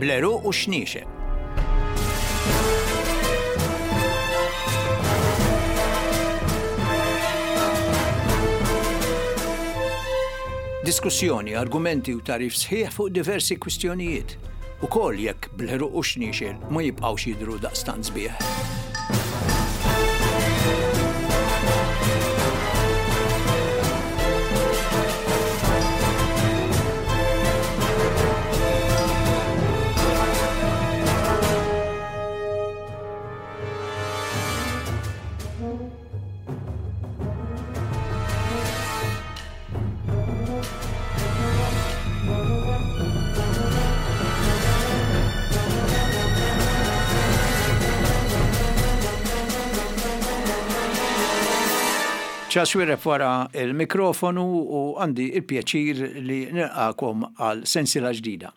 Bl-għeruq u x-xniexel. Diskussjoni, argumenti u tagħrif sħiħ fuq diversi kwistjonijiet, ukoll jekk bl-għeruq u x-xniexel ma jibqgħux jidhru daqstant sbieħ. Charles Xuereb wara l-mikrofonu u għandi il-pjaċir li nilqakom għal sensiela ġdida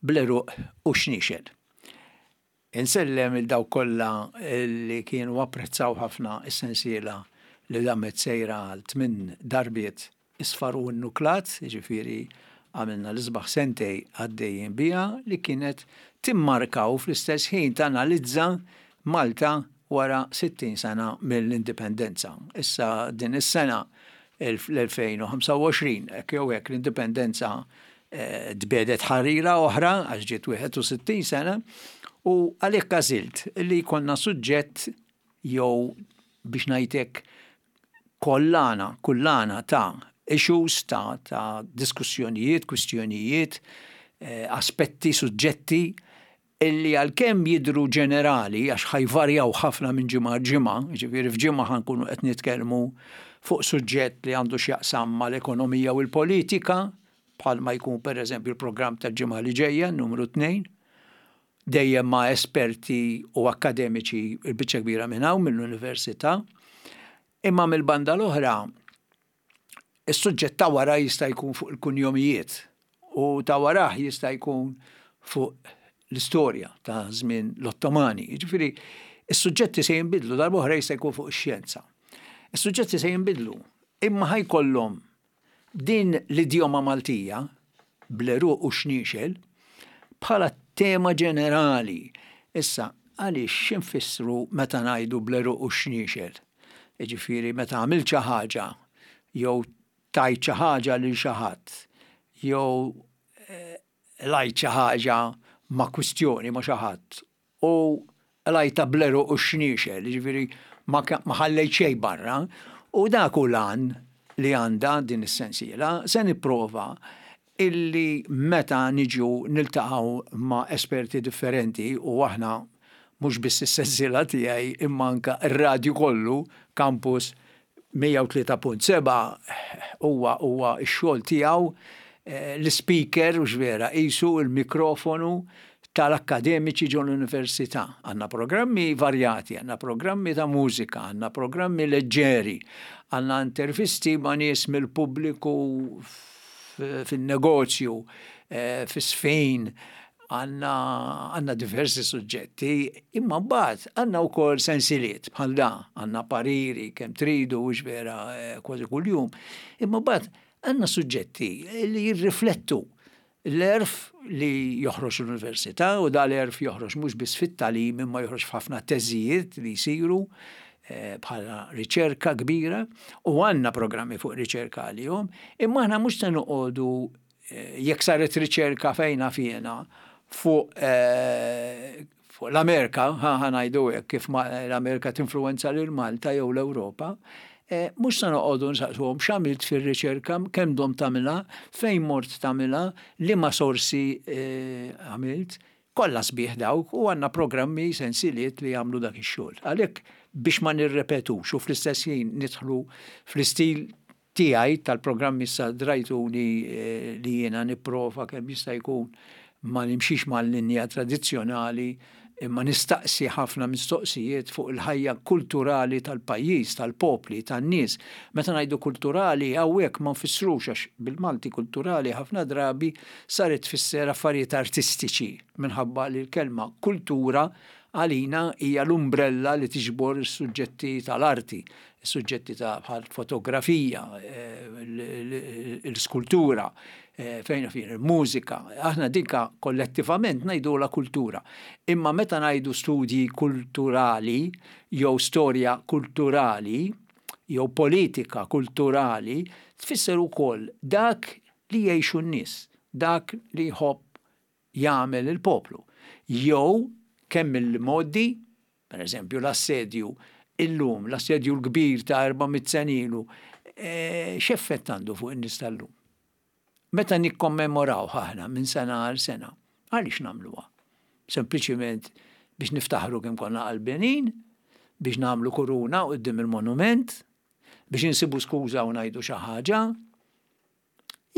bl-għeruq u x-xniexel. Insellem il dawk kollha li kienu apprezzaw ħafna s-sensiela li damet sejra għal tminn darbiet isfar u nnuklat, jiġifieri għamilna l-isbaħ sentej għaddejjin biha li kienet timmarka u fl-istess ħin tanalizza Malta wara 60 sena mill-Indipendenza. Issa din is-sena l-2025, hekk jew hekk l-Indipendenza tbiegħdet ħarira oħra għax ġiet 61 sena u għalhekk għażilt li jkollna suġġett jew biex ngħid hekk kollana, kullana ta' issues, ta', ta diskussjonijiet, kwistjonijiet, eh, aspetti, suġġetti illi għalkemm jidhru ġenerali għax ħa jvarjaw ħafna minn ġimgħa għal ġimgħa, jiġifieri f'ġimgħa ħa nkunu qed nitkellmu fuq suġġett li għandu x'jaqsam mal-ekonomija u l-politika, bħalma jkun pereżempju l-programm tal-ġimgħa li ġejja, numru 2, dejjem ma' esperti u akkademiċi l-biċċa kbira minn hawn mill-università. Imma mill-banda l-oħra, Is-suġġett ta' wara jista' jkun fuq il-kunjomijiet u ta' warah jista' jkun fuq l-istorja ta' żmien l-Ottomani. Jiġifieri, is-suġġetti se jinbidlu, darb'oħra jista' jkun fuq ix-xjenza. Is-suġġetti se jinbidlu, imma ħa jkollhom din l-idjoma Maltija bl-għeruq u x-xniexel bħala tema ġenerali. Issa, għaliex x'infissru meta ngħidu bl-għeruq u x-xniexel? Jiġifieri meta għamilt xi ħaġa jew tajt xi ħaġa lil xi ħadd jew qlajt xi ħaġa ma' kwistjoni ma' xi ħadd u qlajtha bl-għeruq u x-xniexel, jiġifieri ma ħallejt xejn barra, u dak hu l-għan li għandha din is-sensiela, se nipprova illi meta niġu niltaqgħu ma' esperti differenti u aħna mhux biss is-sensiela tiegħi imma anke r-radju kollu, Campus 103.7 huwa huwa x-xogħol tiegħu l-ispeaker hux vera qisu l-mikrofonu tal-akkademiċi ġol-università. Għandna programmi varjati, għandna programmi ta' mużika, għandna programmi leġġeri, għandna intervisti ma' nies mill-pubbliku fin-negozju, fis-sfin, għandna għandna diversi suġġetti, imma mbagħad għandna wkoll sensiliet bħal da, għandna pariri kemm tridu hux vera kważi kuljum, imma mbagħad għandna suġġetti li jirriflettu l-għerf li joħroġ l-università u da l-għerf joħroġ mhux biss fit-tagħlim imma joħroġ f'ħafna teżijiet li jsiru eh, bħala riċerka kbira u għandna programmi fuq riċerka għalihom, imma aħna mhux se noqogħdu eh, jekk saret riċerka fejna fjena fuq eh, fuq l-Amerika, ħa ngħidu hekk kif l-Amerika tinfluwenza lil Malta jew l-Ewropa, eh, mhux se noqogħdu nsaqsuhom x'għamilt fir-riċerka, kemm domt tagħmilha, fejn mort tagħmilha, liema sorsi eh, għamilt, kollha sbieħ dawk u għandna programmi sensiliet li jagħmlu dak ix-xogħol. Għalhekk biex ma nirrepetux u fl-istess ħin nidħlu fl-istil tiegħi tal-programmi issa drajtuni li jiena nipprova kemm jista' jkun ma nimxix mal-linja tradizzjonali imma nistaqsi ħafna mistoqsijiet fuq il-ħajja kulturali tal-pajjiż, tal-popli, tan-nies. Meta ngħidu kulturali hawnhekk ma nfissrux għax bil-Malti kulturali ħafna drabi saret tfisser affarijiet artistiċi minħabba li l-kelma kultura. għalina hija l-umbrella li tiġbor is-suġġetti tal-arti, is-suġġetti ta' bħal fotografija, l-iskultura, fejn fejn il-mużika. Aħna dinka kollettivament ngħidulha kultura. Imma meta ngħidu studji kulturali jew storja kulturali jew politika kulturali, tfisser ukoll dak li jgħixu n-nies, dak li jħobb jagħmel il-poplu. Jew kemm il-modi, per eżempju l-assedju illum, l-assedju l-kbir ta' 400 sena ilu, x'effett għandu fuq in-nies tal-lum? Meta nikkommemoraw aħna minn sena għal sena, għaliex nagħmluha? Sempliċiment biex niftaħru kemm konna qalbenin, biex nagħmlu kuruna quddiem il-monument, biex insibu skuża u ngħidu xi ħaġa,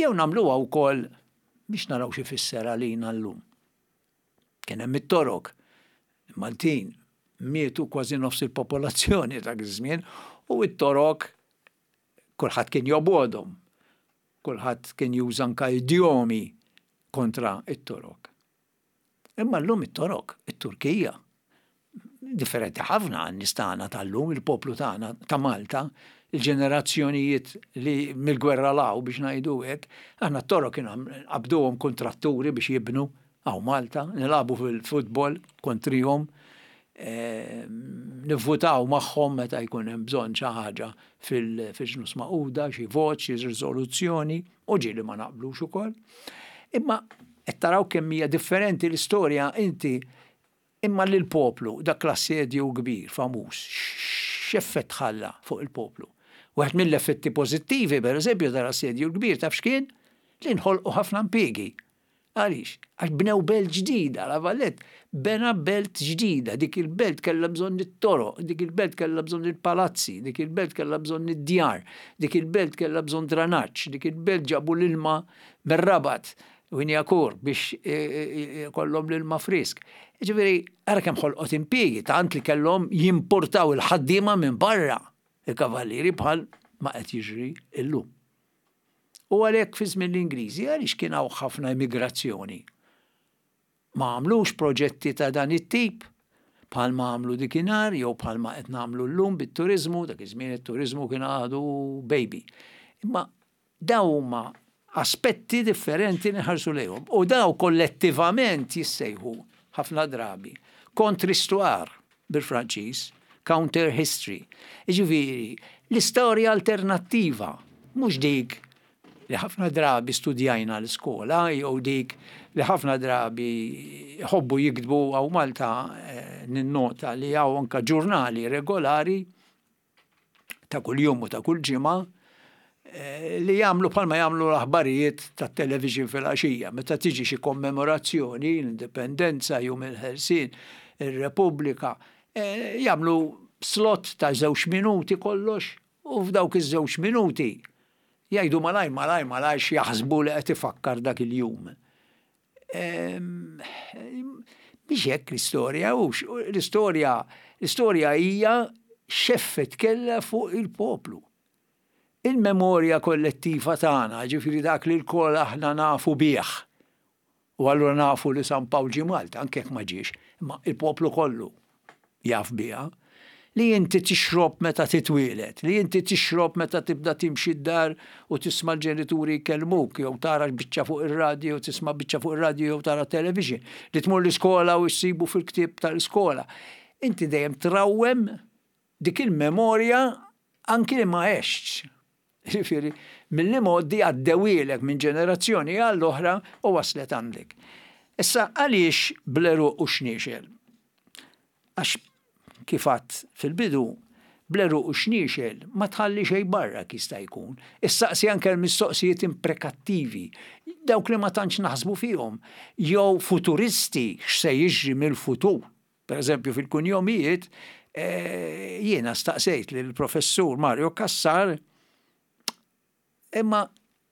jew nagħmluha wkoll biex naraw x'ifisser għalina llum. Kien hemm it-Torok, il-Maltin, mietu kważi nofs il-popolazzjoni dak iż-żmien u t-Torok kulħadd kien jobgħodhom. Kulħadd kien juża anka idjomi kontra t-Torok. Imma llum it-Torok, it-Turkija, differenti ħafna għan-nies tagħna tal-lum, il-poplu tagħna ta' Malta, il-ġenerazzjonijiet li mill-gwerra 'l hawn biex ngħidu hekk, aħna t-Torok kienu nqabduhom kuntratturi biex jibnu hawn Malta, nilagħbu fil-futbol kontrihom, nivvutaw magħhom meta jkun hemm bżonn xi ħaġa fil-Ġnus Magħquda, xi vot, xi riżoluzzjoni, u ġieli ma naqblux ukoll. Imma qed taraw kemm hija differenti l-istorja inti imma lill-poplu dak l-assedju kbir famuż x'effett ħalla fuq il-poplu. Wieħed mill-effetti pożittivi, pereżempju, tal-assedju l-kbir taf x'kien? Li nħolqu ħafna impjiegi. Għaliex? Għax bnew belt ġdida, La Valette bena belt ġdida, dik il-belt kellha bżonn it-toroq, dik il-belt kellha bżonn il-palazzi, dik il-belt kellha bżonn id-djar, dik il-belt kellha bżonn dranaġġ, dik il-belt ġabu l-ilma mir-Rabat, Wignacourt, biex ikollhom l-ilma frisk. Jiġifieri, ara kemm ħolqot impjiegi, tant li kellhom jimportaw il-ħaddiema minn barra, il-kavallieri bħal ma qed jiġri llum. U għalhekk fi żmien l-Ingliżi għaliex kien hawn ħafna immigrazzjoni? Ma għamlux proġetti ta' dan it-tip bħalma għamlu dikinhar jew bħalma qed nagħmlu llum bit-turiżmu, dak iż-żmien it-turiżmu kien għadu baby. Imma dawn huma aspetti differenti li nħarsu lejhom u dawn kollettivament jissejħu ħafna drabi contre-histoire bil-Franċiż, counter history. Jiġifieri, l-istorja alternattiva, mhux dik li ħafna drabi studjajna l-iskola jew dik li ħafna drabi jħobbu jiktbu hawn Malta eh, ninnota li hawn anka ġurnali regolari ta' kuljum u ta' kull ġimgħa eh, li jagħmlu bħalma jagħmlu l-aħbarijiet tat-television fil-għaxija. Meta tiġi xi kommemorazzjoni, l-Indipendenza, Jum il-Ħelsien, ir-Repubblika, eh, jagħmlu slot ta' żewġ minuti kollox u f'dawk iż-żewġ minuti jgħidu malaj malaj malaj x'jaħsbu li qed ifakkar dak il-jum. Biex hekk l-istorja, u l-istorja, l-istorja hija x'effett kellha fuq il-poplu. Il-memorja kollettiva tagħna, ġifieri dak li lkoll aħna nafu bih. U allura nafu li San Pawl ġie Malta, anke jekk ma ġiex, imma il-poplu kollu jaf biha, li inti tixrob meta titwieled, li inti tixrob meta tibda timxi d-dar u tisma' l-ġenituri jkellmuk jew tara biċċa fuq ir-radju jew tisma' biċċa fuq ir-radju jew tara television, li tmur l-iskola u ssibu fil-ktieb tal-iskola. Inti dejjem trawwem dik il-memorja anki li ma għextx. Jiġifieri, mill-imgħoddi għaddewhielek minn ġenerazzjoni għall-oħra u waslet għandek. Issa għaliex bl-għeruq u xniexel? Għax kif għadt fil-bidu, bl-għeruq u xniexel ma tħalli xejn barra jista' jkun. Issaqsi anke l-mistoqsijiet imprekattivi, dawk li ma tantx naħsbu fihom, jew futuristi x'se jiġri mill-futur. Per eżempju fil-kunjomijiet eh, jiena staqsejt lill-professur Mario Cassar imma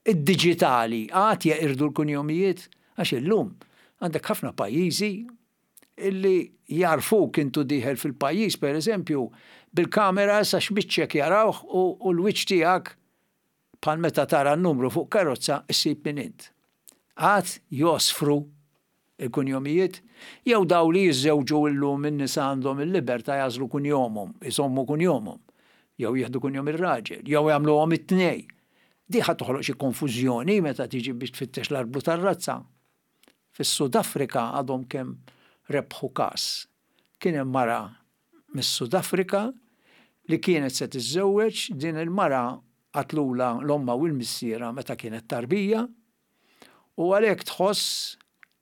id-diġitali għad jeqirdu l-kunjomijiet għax illum għandek ħafna pajjiżi illi jarfuk intu dieħel fil-pajjiż per eżempju bil-kamera sa x'biċċek jarawh u l-wiċċ tiegħek bħal meta tara n-numru fuq karozza issib min int. Għad josfru. Il-kunjomijiet? Jew daw li jiżżewġu illum in-nisa għandhom il-libertà jagħżlu kunjomhom, iżommu kunjomhom, jew jieħdu kunjom ir-raġel, jew jagħmluhom it-tnej. Di ħa toħloq xi konfużjoni meta tiġi biex tfittex l-arblu tar-razza. Fis-Sud Afrika għadhom kemm rebħu każ. Kien hemm mara mis-Sud Afrika li kienet se tiżżewweġ, din il-mara qatlulha l-ommha u l-missierha meta kienet tarbija u għalhekk tħoss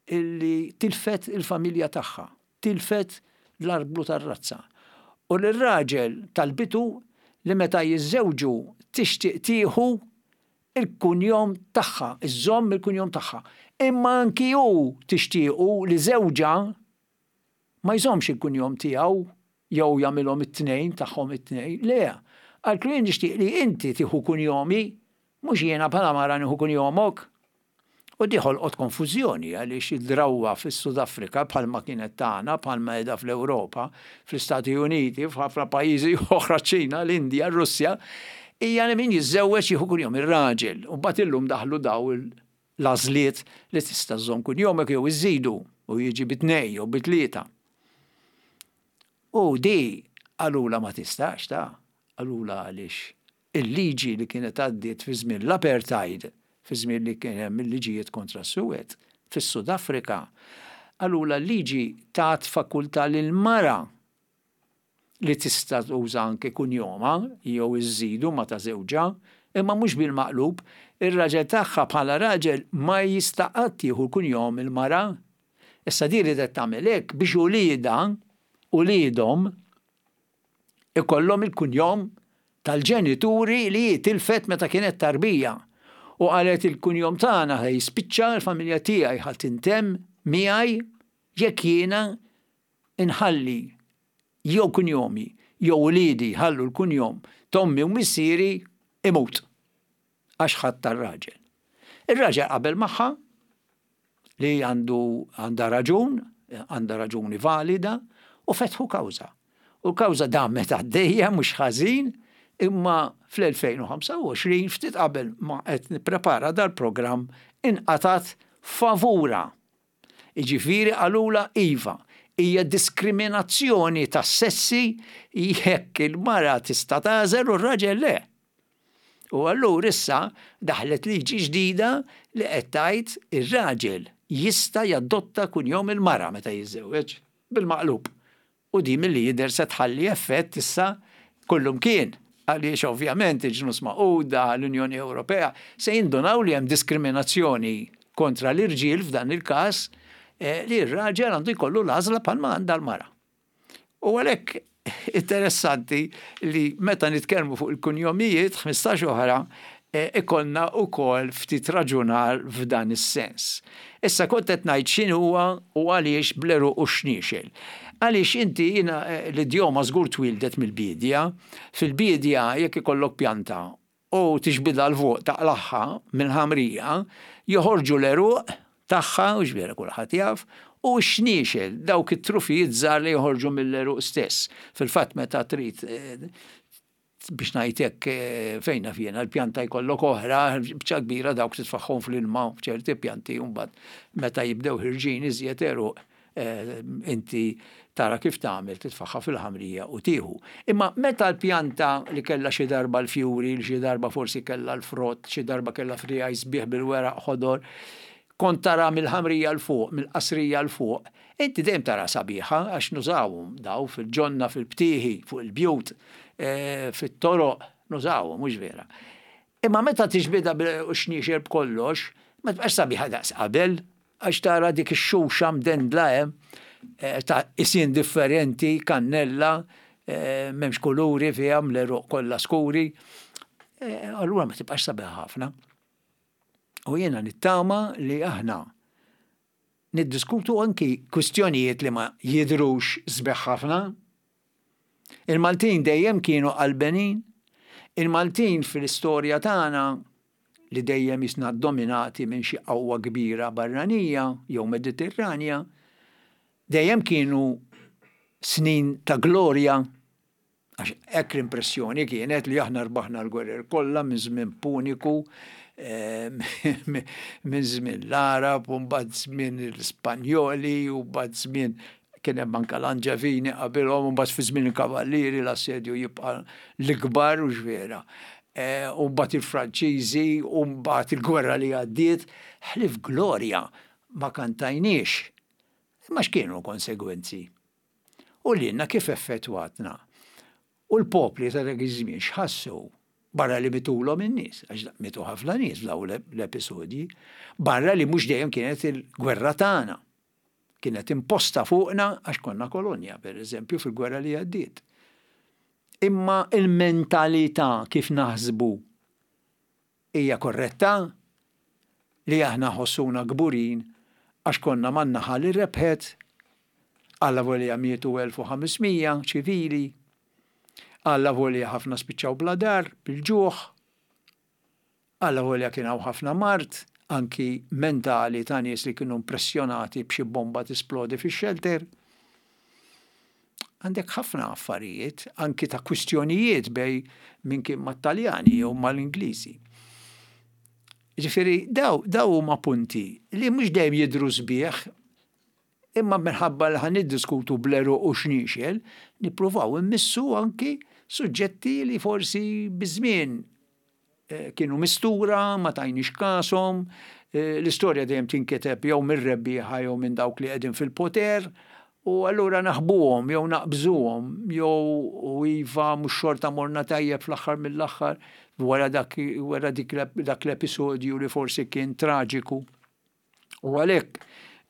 illi tilfet il-familja tagħha, tilfet l-arblu tar-razza. U lir-raġel talbitu li meta jiżżewġu tixtieq tieħu il-kunjom tagħha, iżżomm il-kunjom tagħha. Imma anki hu tixtiequ li żewġha ma jżommx il-kunjom tiegħu jew jagħmilhom it-tnejn tagħhom it-tnejn. Le, qaltlu jien nixtieq li inti tieħu kunjomi, mhux jiena bħala mara nieħu kunjomok. U di ħolqot konfużjoni għaliex id-drawwa fis-Sud Afrika bħalma kienet tagħna, bħalma qiegħda fl-Ewropa, fl-Istati Uniti, f'ħafna pajjiżi oħra, ċ-Ċina, l-Indja, r-Russja, hija li min jiżżewweġ jieħu kunjom ir-raġel. U mbagħad illum daħlu daw l-għażliet li tista' żżomm kunjomek jew iżżidu u jiġi bi tnejn jew bi tlieta. U di qalulha ma tistax ta' qalulha għaliex il-liġi li kienet għaddiet fi żmien l-apartheid, fi żmien li kien hemm il-liġijiet kontra s-suwed, fis-Sud Afrika, qalulha l-liġi tat fakultà lill-mara li tista' tuża anke kunjomha jew iżżidu ma' ta' żewġha, imma mhux bil-maqlub, ir-raġel tagħha bħala raġel ma jista' qatt jieħu l-kunjom il-mara. Issa din riedet tagħmel hekk biex uliedha, uliedhom, ikollhom il-kunjom tal-ġenituri li hi tilfet meta kienet tarbija. U qalet il-kunjom tagħna ħa jispiċċa, il-familja tiegħi ħa tintemm miegħi jekk jiena inħalli jew kunjomi jew uliedi jħallu l-kunjom t'ommi u missieri imut għax ħadt tar-raġel. Ir-raġel qabel magħha li għandu għandha raġun, għandha raġuni valida u fetħu kawża. U l-kawża damet għaddejja mhux ħażin, imma fl-2025 ftit qabel ma qed nipprepara dal-programm inqatgħet favura. Jiġifieri qalulha iva, hija diskriminazzjoni tas-sessi jekk il-mara tista' tagħżel u r-raġel le. U allura issa daħlet liġi ġdida li qed tgħid ir-raġel jista' jadotta kunjom il-mara meta jiżżewweġ, bil-maqlub. U din milli jidher se tħalli effett issa kullumkien, għaliex ovvjament il-Ġnus Magħquda, l-Unjoni Ewropea se jindunaw li hemm diskriminazzjoni kontra l-irġiel f'dan il-każ li r-raġel għandu jkollu l-għażla bħalma għandha l-mara. U għalhekk interessanti li meta nitkellmu fuq il-kunjomijiet 15 oħra ikollna wkoll ftit raġunar f'dan is-sens. Issa kont qed ngħid x'inhuwa u għaliex bl-għeruq u x-xniexel. Għaliex inti jiena l-idjoma żgur twieldet mill-biedja. Fil-biedja jekk ikollok pjanta u tiġbidha 'l fuq taqlagħha mill-ħamrija, joħorġu l-għeruq tagħha, hux vera kulħadd jaf, u x-xniexel, dawk it-trufijiet żgħar li joħorġu mill-għeruq stess. Fil-fatt meta trid biex ngħid hekk fejn naf jiena l-pjanta jkollok oħra, biċċa kbira dawk titfagħhom fl-ilma f'ċerti pjanti u mbagħad meta jibdew ħirġin iżjed għeruq inti tara kif tagħmel titfagħha fil-ħamrija u tieħu. Imma meta l-pjanta li kellha xi darba l-fjuri, li xi darba forsi kellha l-frott, xi darba kellha friegħi sbieħ bil-weraq ħodor, kont tara mill-ħamrija 'l fuq, mill-qasrija 'l fuq, inti dejjem taraha sabiħa għax nużawhom daw fil-ġonna, fil-btieħi, fuq il-bjut, fit-toroq, nużawhom, mhux vera. Imma meta tiġbidha bil-xniexel b'kollox, ma tibqax sabiħa daqs qabel, għax tara dik ix-xuxa mdendla hemm ta' qisien differenti, kannella, m'hemmx kuluri fiha, l-għeruq kollha skuri. Allura ma tibqax sabiħa ħafna. U jiena nittama li aħna niddiskutu anki kwistjonijiet li ma jidhrux sbieħ ħafna. Il-Maltin dejjem kienu qalbenin. Il-Maltin fil-istorja tagħna li dejjem jisna dominati minn xi qawwa kbira barranija jew Mediterranja, dejjem kienu snin ta' glorja Għax hekk l-impressjoni kienet li aħna rbaħna l-gwerer kollha minn żmien Puniku. minn żmien l-Għarab u mbagħad żmien l-Ispanjoli u mbagħad żmien kien hemm anke l-Anġevini qabilhom u mbagħad fi żmien il-Kavallieri l-assedju jibqa' l-ikbar u x'vera. U mbagħad il-Franċiżi u mbagħad il-gwerra li għaddiet, ħlief glorja ma kantajniex. Imma x'kienu l-konsegwenzi? U lilna kif effettwatna? U l-popli ta' dak iż-żmien x'ħassu? Barra li mitulhom in-nies, għax mitu ħafna nies f'dawn l-episodji, barra li mhux dejjem kienet il-gwerra tagħna. Kienet imposta fuqna għax konna kolonja, per eżempju, fil-gwerra li għaddiet. Imma il-mentalità kif naħsbu Hija korretta li aħna nħossuna kburin għax konna man-naħa li rebħet? Allavolja mietu 1,500 ċivili. Allavolja ħafna spiċċaw bla dar, bil-ġuħ. Allavolja kien hawn ħafna mard, anki mentali ta' nies li kienu impressjonati b'xi bomba tisplodi fix-xelter. Għandek ħafna affarijiet, anki ta' kwistjonijiet bej min kien mat-Taljani jew mal-Ingliżi. Ġifieri daw daw huma punti li mhux dejjem jidhru sbieħ, imma minħabba li ħa niddiskutu bl-għeruq u xniexel, nippruvaw immissu anki suġġetti li forsi biż-żmien kienu mistura, ma tajniex kashom, l-istorja dejjem tinkiteb jew mir-rebbieħa jew minn dawk li qegħdin fil-poter, u allura naħbuhom jew naqbżuhom jew u iva mhux xorta morna tajjeb fl-aħħar mill-aħħar wara dak wara dik dak l-episodju li forsi kien traġiku. U għalhekk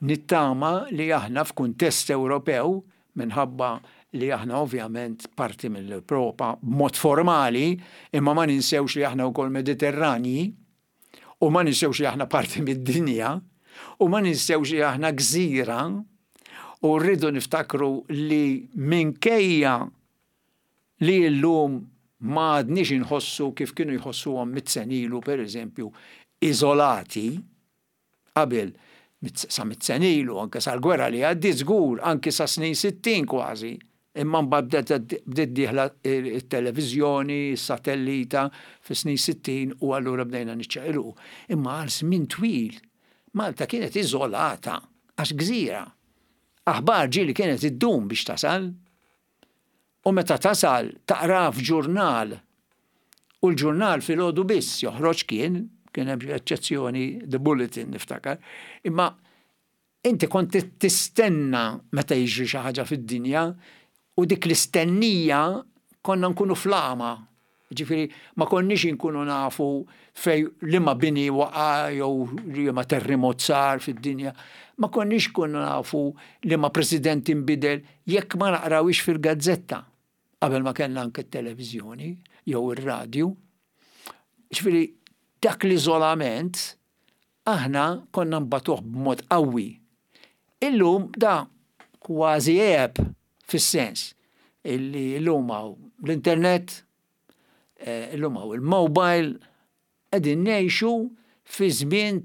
nittama li aħna f'kuntest Ewropew, minħabba li aħna ovvjament parti mill-Ewropa b'mod formali, imma ma ninsewx li aħna wkoll Mediterranji, u ma ninsewx li aħna parti mid-dinja, u ma ninsewx li aħna gżira, u rridu niftakru li minkejja li llum ma għadniex inħossu kif kienu jħossuhom mit-senilu, per eżempju, iżolati, qabel sa mit sena ilu, anke sal-gwerra li għaddiet żgur, anke sa snin 60 kważi. Imma mbagħad bdiet dieħla t-televiżjoni, s-satellita fis-snin 60 u allura bdejna niċċaqilqu. Imma għal żmien twil Malta kienet iżolata għax gżira. Aħbar ġieli kienet iddum biex tasal. U meta tasal taqra f'ġurnal. U l-ġurnal filgħodu biss joħroġ kien, kien hemm eċċezzjoni The Bulletin niftakar, imma inti kont tistenna meta jiġri xi ħaġa fid-dinja u dik l-istennija konna nkunu fl-għama. Ġifieri ma konniex inkunu nafu fej liema bini waqa' jew liema terremot sar fid-dinja. Ma konniex nkunu nafu liema president inbidel jekk ma naqrawhiex fil-gazzetta qabel ma kellna anke t-televiżjoni jew ir-radju. Ġifieri dak l-iżolament aħna konna nbatuh b'mod qawwi. Illum da kważi għeb fis-sens illi llum hawn l-internet, eh, illum hawn il-mobile, qegħdin ngħixu fi żmien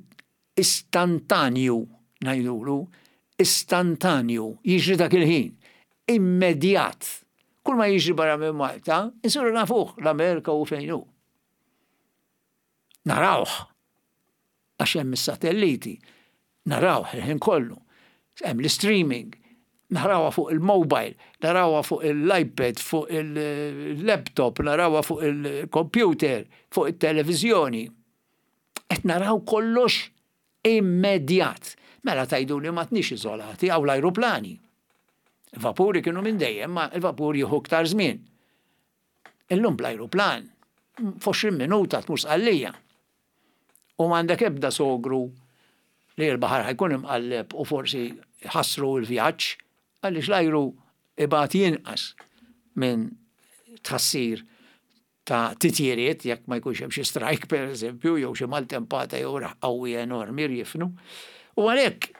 istantanju ngħidulu, istantanju, jiġri dak il-ħin, immedjat. Kull ma jiġri barra minn Malta, insiru nafuh l-Amerika u fejn hu. Narawh għax hemm is-satelliti, narawh il-ħin kollu. Hemm l-streaming, narawha fuq il-mobile, narawha fuq l-iPad, fuq il-laptop, narawha fuq il-computer, fuq it-televiżjoni. Qed naraw kollox immedjat. Mela tgħidu li m'għadniex iżolati hawn l-ajruplani. Il-vapuri kienu minn dejjem, ma il-vapur jieħu iktar żmien. Illum bl-ajruplan, f'20 minuta tmur Sqallija. U m'għandek ebda sogru li l-baħar ħa jkun imqalleb u forsi jħassru l-vjaġġ għaliex l-ajru ibati inqas minn tħassir ta' titjiriet jekk ma jkunx hemm xi strajk pereżempju jew xi maltempata jew riħ qawwi enormi rjifnu. U għalhekk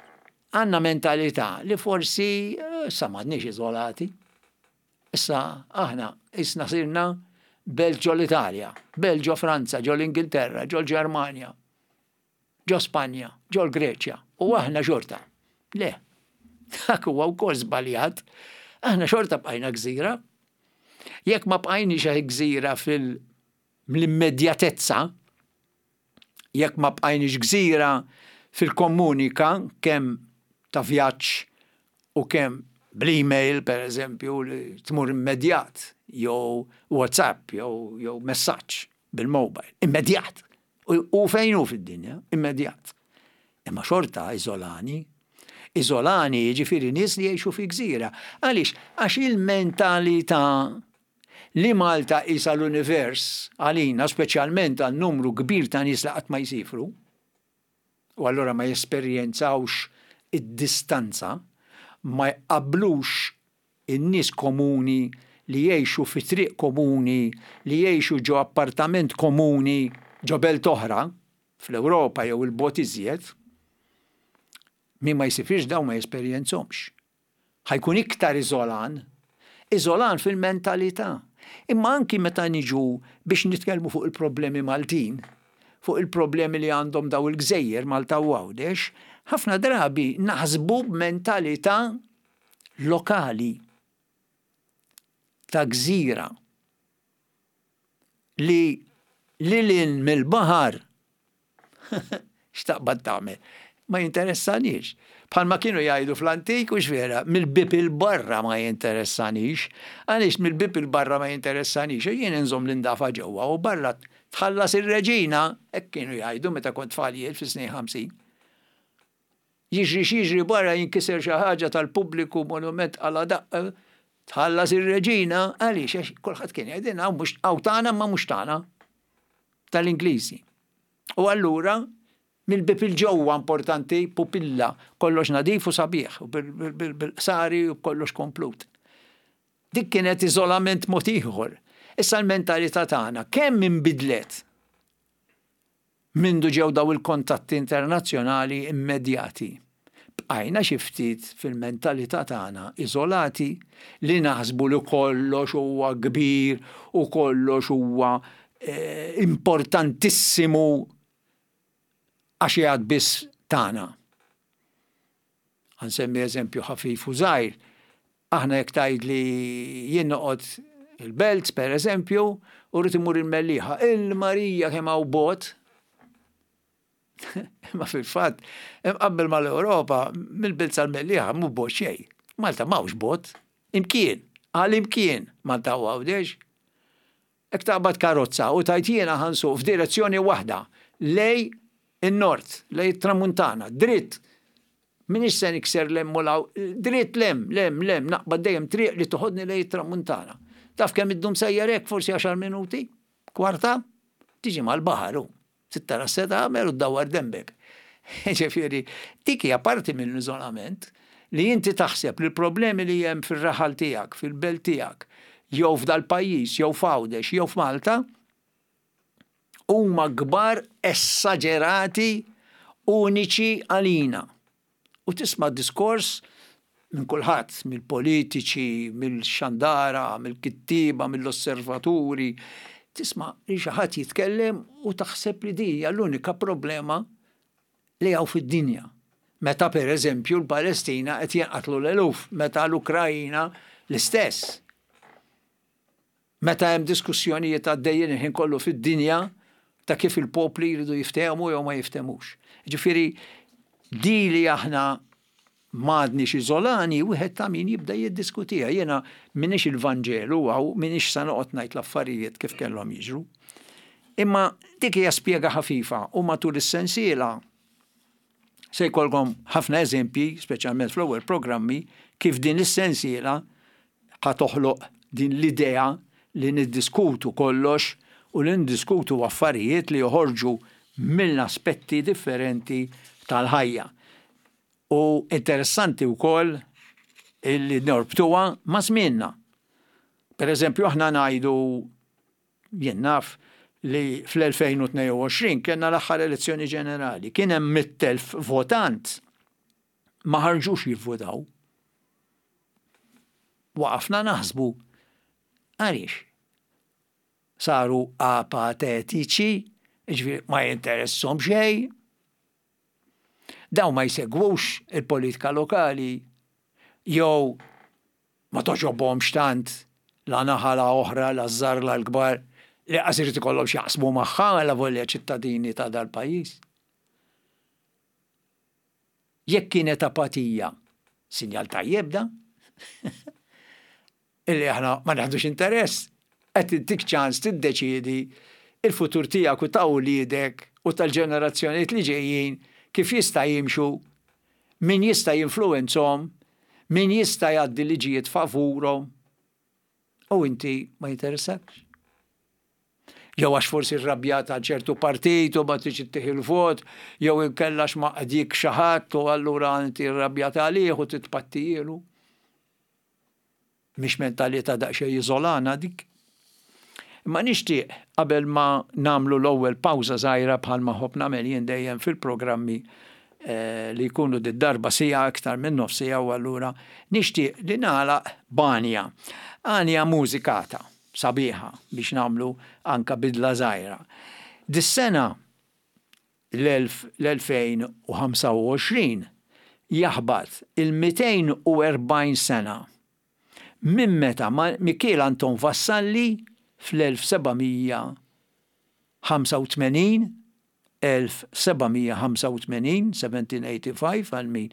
għandna mentalità li forsi eh, issa m'għadniex iżolati. Issa aħna qisna sirna belt ġo l-Italja, belt ġo Franza, ġo l-Ingilterra, ġo l-Ġermanja, ġo Spanja, ġo l-Greċja, u aħna xorta. Le, dak huwa wkoll żbaljat. Aħna xorta bqajna gżira. Jekk ma bqajniex gżira fil-immedjatezza, Jekk ma bqajniex gżira fil-komunika kemm ta' vjaġġ u kemm bl-email per eżempju li tmur immedjat jew WhatsApp jew jew messaġġ bil-mobile, immedjat. U fejn hu fid-dinja, immedjat. Imma xorta iżolani. Iżolani jiġifieri nies li jgħixu fi gżira. Għaliex? Għax il-mentalità li Malta qisha l-univers għalina, speċjalment għal numru kbir ta' nies li qatt ma jsifru, u allura ma jesperjenzawx id-distanza, ma jqabblux in-nies komuni li jgħixu fi triq komuni, li jgħixu ġo appartament komuni ġo belt oħra, fl-Ewropa jew 'il bogħod iżjed, min ma jsifirx dawn ma jesperjenzhomx. Ħa jkun iktar iżolan. Iżolan fil-mentalità. Imma anki meta niġu biex nitkellmu fuq il-problemi Maltin, fuq il-problemi li għandhom daw il-gżejjer Malta u Għawdex, ħafna drabi naħsbu b'mentalità lokali ta' gżira li lil hinn mill-baħar x'taqbad tagħmel? Ma jinteressanix. Bħalma kienu jgħidu fl-antik u vera, mill-bib il-barra ma jinteressanix. Għaliex mill-bib il-barra ma jinteressanix? Jien inżomm l-indafa ġewwa u barra tħallas ir-reġina, hekk kienu jgħidu meta kont tfal jien fis-snin 50. Jiġri x'jiġri barra jinkiser xi ħaġa tal-pubbliku, monument għala daqqa, tħallas ir-reġina, għaliex għax kulħadd kien jgħidilna hawn mhux hawn tagħna imma mhux tagħna. Tal-Ingliżi. U allura mill-bib il-ġewwa importanti pupilla, kollox nadif u sabiħ, u bil-qsari u kollox komplut. Dik kienet iżolament mod ieħor. Issa l-mentalità tagħna kemm inbidlet Mindu ġew daw il-kontatti internazzjonali immedjati, bqajna xi ftit fil-mentalità tagħna iżolati li naħsbu li kollox huwa kbir u kollox huwa importantissimu għax qiegħed biss tagħna. Ħa nsemmi eżempju ħafif u żgħir. Aħna jekk tgħidli jien noqgħod il-Belt, per eżempju, u rrid immur il-Mellieħa, il-Marija kemm hawn bogħod. Imma fil-fatt, imqabbel mal-Ewropa, mill-Belt sal-Mellieħa mhu bogħod xejn. Malta m'hawnx bogħod. Imkien, għal imkien Malta u Għawdex. Jekk taqbad karozza u tgħid jiena ħa nsuq f'direzzjoni waħda, lejn in-nord, lejn it-tramuntana, dritt, m'iniex se nikser 'l hemm u 'l hawn, dritt 'l hemm, 'l hemm, 'l hemm, naqbad dejjem triq li toħodni lejn it-tramuntana. Taf kemm iddum sejjer hekk? Forsi għaxar minuti? Kwarta? Tiġi mal-baħar hu. Trid tara x'se tagħmel u ddawwar denbek. Jiġifieri, dik hija parti mill-iżolament li inti taħseb li l-problemi li hemm fir-raħal tiegħek, fil-belt tiegħek, jew f'dal-pajjiż, jew f'Għawdex, jew f'Malta, huma kbar essaġerati uniċi għalina. U tisma' diskors minn kulħadd, mill-politiċi, mill-xandara, mill-kittieba, mill-osservaturi, tisma' li xi ħadd jitkellem u taħseb li din hija l-unika problema li hawn fid-dinja. Meta per eżempju l-Palestina qed jinqatlu l-eluf, meta l-Ukrajina l-istess. Meta hemm diskussjonijiet għaddejjin il-ħin kollu fid-dinja ta' kif il-popli jridu jiftehmu jew ma jiftehmux. Ġifieri di li aħna m'għadniex iżolani, wieħed ta' min jibda jiddiskutiha. Jiena m'iniex il-Vanġelu hawn, m'iniex sa noqgħod ngħid l-affarijiet kif kellhom jiġru. Imma dik hija spjega ħafifa u matul is-sensiela Se jkollkom ħafna eżempji, speċjalment fl-ewwel programmi, kif din is-sensiela ħa toħloq din l-idea li niddiskutu kollox u li niddiskutu affarijiet li joħorġu mill-aspetti differenti tal-ħajja. U interessanti wkoll illi norbtuha ma' żmienna. Per eżempju, aħna ngħidu Jien naf li fl-2022 kellna l-aħħar elezzjoni ġenerali, kien hemm 100,000 votant ma ħarġux jivvotaw. Waqafna naħsbu għaliex saru apatetiċi, ġifieri ma jinteresshom xejn. Dawn ma jsegwux il-politika lokali jew Ma togħġobhomx tant la naħa la oħra, la ż-żgħar la l-kbar. Li qas irid ikollhom x'jaqsmu magħha alavolja ċittadini ta' dal-pajjiż. Jekk kienet apatija, sinjal tajjeb da? Illi aħna ma neħdux interess, qed intik ċans tiddeċiedi il-futur tiegħek u ta' uliedek u tal-ġenerazzjonijiet li ġejjin kif jista' jimxu, min jista' jinfluwenzhom, min jista' jgħaddi liġijiet favurhom. U inti ma jinteressakx. Jew għax forsi rrabjat għal ċertu partit u ma tridx ittih il-vot, jew inkella għax ma qdik xi ħadd u allura inti rrabjat għalih u titpattijielu. Mhix mentalità daqsxejn iżolana dik? Imma nixtieq qabel ma nagħmlu l-ewwel pawża żgħira bħalma ħobb nagħmel jien dejjem fil-programmi eh, li jkunu did-darba siegħa iktar minn nofs siegħa u allura nixtieq li nagħlaq b'għanja. Għanja mużikata sabiħa biex nagħmlu anka bidla żgħira. Dis-sena l-2025 jaħbat il-240 sena minn meta Mikiel Anton Vassalli fl-1785 1785, 1785 għal min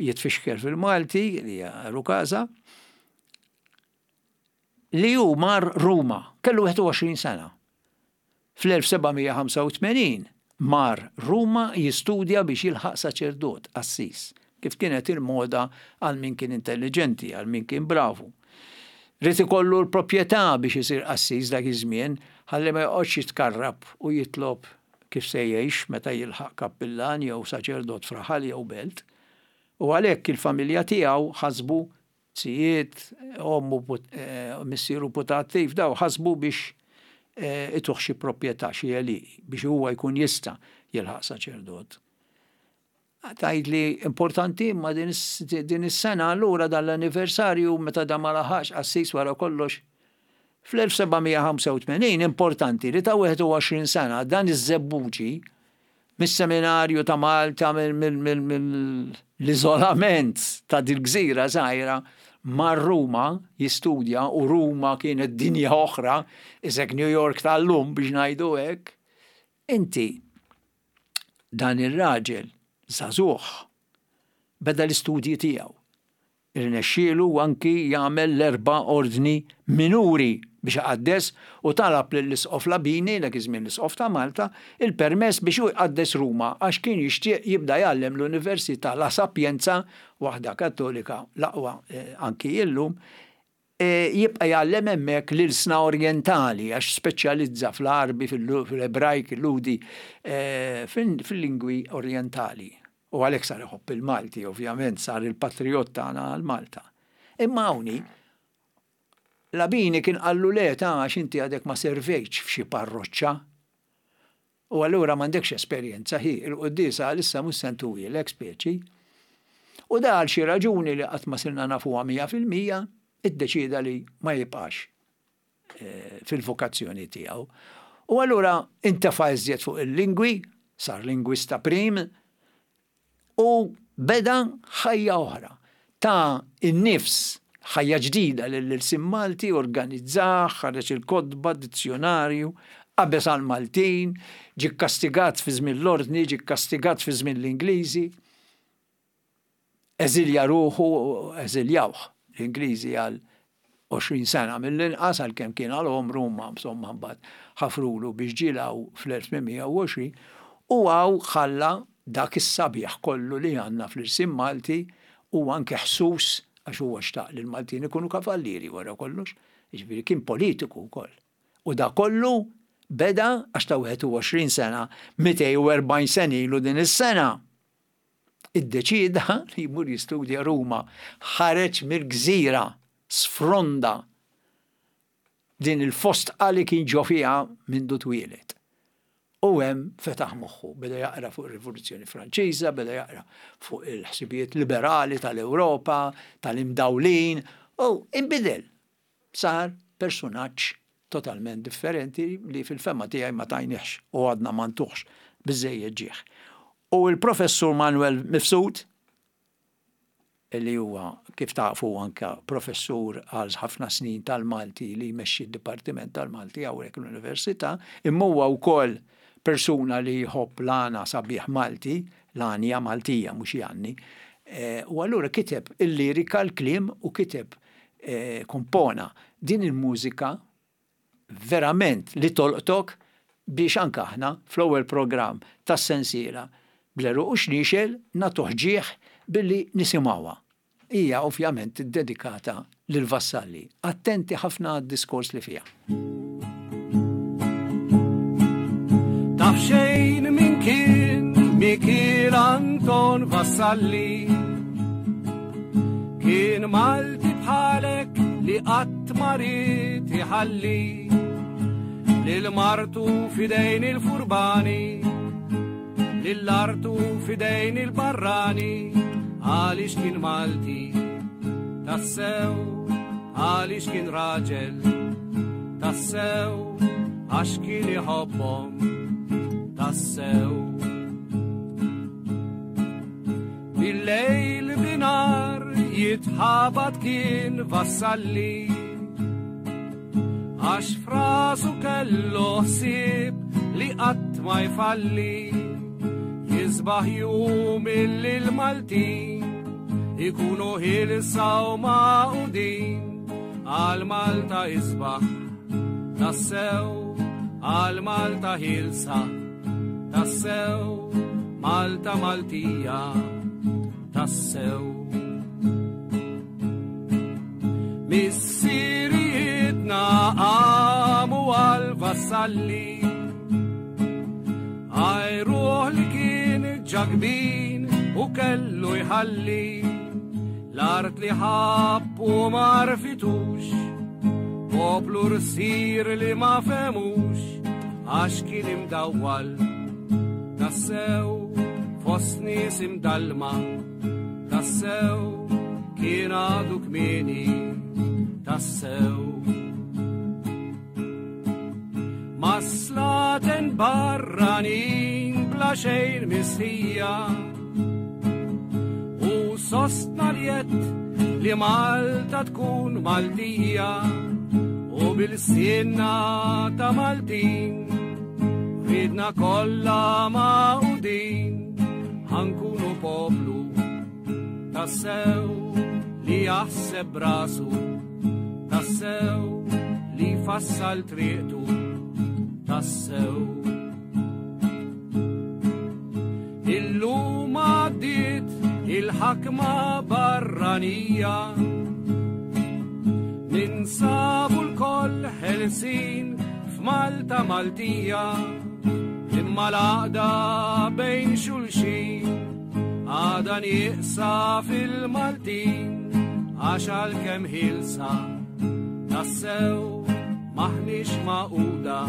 jitfixkel fil-Malti li hija Rukasa, li hu mar Ruma, kellu 21 sena. Fl-1785 mar Ruma jistudja biex jilħaq saċerdot, qassis, kif kienet il-moda għal min kien intelliġenti, għal min kien bravu. Ried ikollu l-proprjetà biex isir qassis dak iż-żmien ħalli ma joqgħodx jitkarrab u jitlob kif se jgħix meta jilħaq kappillan jew saċerdot f'raħal jew belt. U għalhekk il-familja tiegħu ħasbu Zijiet, ommu, missieru putattiv, daw ħasbu biex ituh xi proprjetà, xi għelieqi, biex huwa jkun jista' jilħaq saċerdot. Tgħidli importanti imma din is-sena allura dan l-anniversarju meta dan ma laħaqx qassis wara kollox. Fl-1785 importanti li ta' 21 sena dan iż-żebbuġi mis-seminarju ta' Malta, mill-iżolament ta' dil-gżira żgħira, mar Ruma jistudja u Ruma kienet dinja oħra, isek New York tal-lum biex ngħidu hekk. Inti dan ir-raġel żagħżugħ beda l-istudji tiegħu. Irnexxielu anki jagħmel l-erba' ordni minuri biex iqaddes u talab lill-Isqof Labini, dak iż-żmien l-Isqof ta' Malta, il-permess biex hu jqaddes Ruma għax kien jixtieq jibda jgħallem l-Università La Sapienza, waħda Kattolika l-aqwa anki illum, jibqa' jgħallem hemmhekk l-ilsna orjentali għax speċjalizza fl-Għarbi, fl-Ebrajk, il-Lhudi, fil-lingwi orjentali. U għalhekk sar iħobb il-Malti, ovvjament sar il-patrijott tagħna għal Malta. Imma hawn Labini kien qallu le ta' għax inti għadek ma servejtx f'xi parroċċa. U allura m'għandekx esperjenza hi, il-quddiesa għalissa mhux se ntuhielek speċi. U da għal xi raġuni li qatt ma sirna nafuha 100% iddeċieda li ma jibqax eh, fil-vokazzjoni tiegħu. U allura intefa' iżjed fuq il-lingwi, sar lingwista prim, u beda ħajja oħra. Ta in-nifs ħajja ġdida lill-ilsien Malti, organizzah, ħareġ il-kotba, dizzjonarju, qabeż għall-Maltin, ġie kkastigat fi żmien l-Ordni, ġie kkastigat fi żmien l-Ingliżi. Eżilja ruħu, eżiljawh l-Ingliżi għal 20 sena mill-inqas għalkemm kien għal għomru imma insomma mbagħad ħafrulu biex ġie 'l hawn fl-1820 u hawn ħalla dak is-sabiħ kollu li għandna fl-irsim Malti u anke ħsus għax huwa xtaq li l-Maltin ikunu kavallieri wara kollox, jiġifieri kien politiku wkoll. U da kollu beda għax ta' 21 sena, 240 sena ilu din is-sena. Iddeċieda li jmur jistudja Ruma. Ħareġ mill-gżira, sfronda din il-fostqa li kien ġo fiha mindu twieled. U hemm fetaħ moħħu, beda jaqra fuq ir-Rivoluzzjoni Franċiża, beda jaqra fuq il-ħsibijiet liberali tal-Ewropa, tal-imdawlin, u inbidel. Sar persunaġġ totalment differenti li fil-fehma tiegħi ma tajnihx u għadna ma ntuhx biżżejjed ġieħ. U l-Professur Manuel Mifsud, li huwa, kif tafu, anke professur għal ħafna snin tal-Malti li jmexxi d-Dipartiment tal-Malti hawnhekk l-Università, imma huwa wkoll persuna li jħobb l-għana sabiħ Malti, l-għanja Maltija mhux jgħanni. U allura kiteb il-lirika, l-kliem u kiteb kompona din il-mużika verament li tolqtok biex anke aħna fl-ewwel programm tas-sensiela Bl-Għeruq u Xniexel nagħtuh ġieħ billi nisimgħuha. Hija ovvjament iddedikata lil Vassalli. Attenti ħafna għad-diskors li fiha. Taf xejn min kien Mikiel Anton Vassalli Kien Malti bħalek li qatt ma ried iħalli lil martu fidejn il-furbani lil artu fidejn il-barrani għaliex kien Malti tassew għaliex kien raġel tassew għax kien iħobbhom tassew. Bil-lejl binar jitħabat kien vassalli Għax frasu kellu ħsieb li qatt ma jfalli Jisbaħ jum illi l-Maltin ikunu ħilsa u magħqudin għal Malta isbaħ tassew għal Malta ħilsa Tassew, Malta Maltija, tassew. Missirijietna għamu għal vassalli, għajruħ li kien ġakbin u kellu jħalli l-art li ħabb u marfitux, poplu rsir li ma femux, Għax kien imdawwal tassew fost nies imdallma tassew kien għadu kmieni tassew. Ma slaten barranin bla xejn mistħija u sostna li li Malta tkun Maltija u bil-sinna ta' Maltin ridna kollha magħqudin ħankunu poplu tassew li jaħseb brasu tassew li fassal triqtu tassew. Illum għaddiet il-ħakma barranija Ninsabu l-koll ħelsin f'Malta Maltija Imma l-għaqda bejn xulxin għada nieqsa fil-Maltin Għax għalkemm ħilsa tassew maħniex magħquda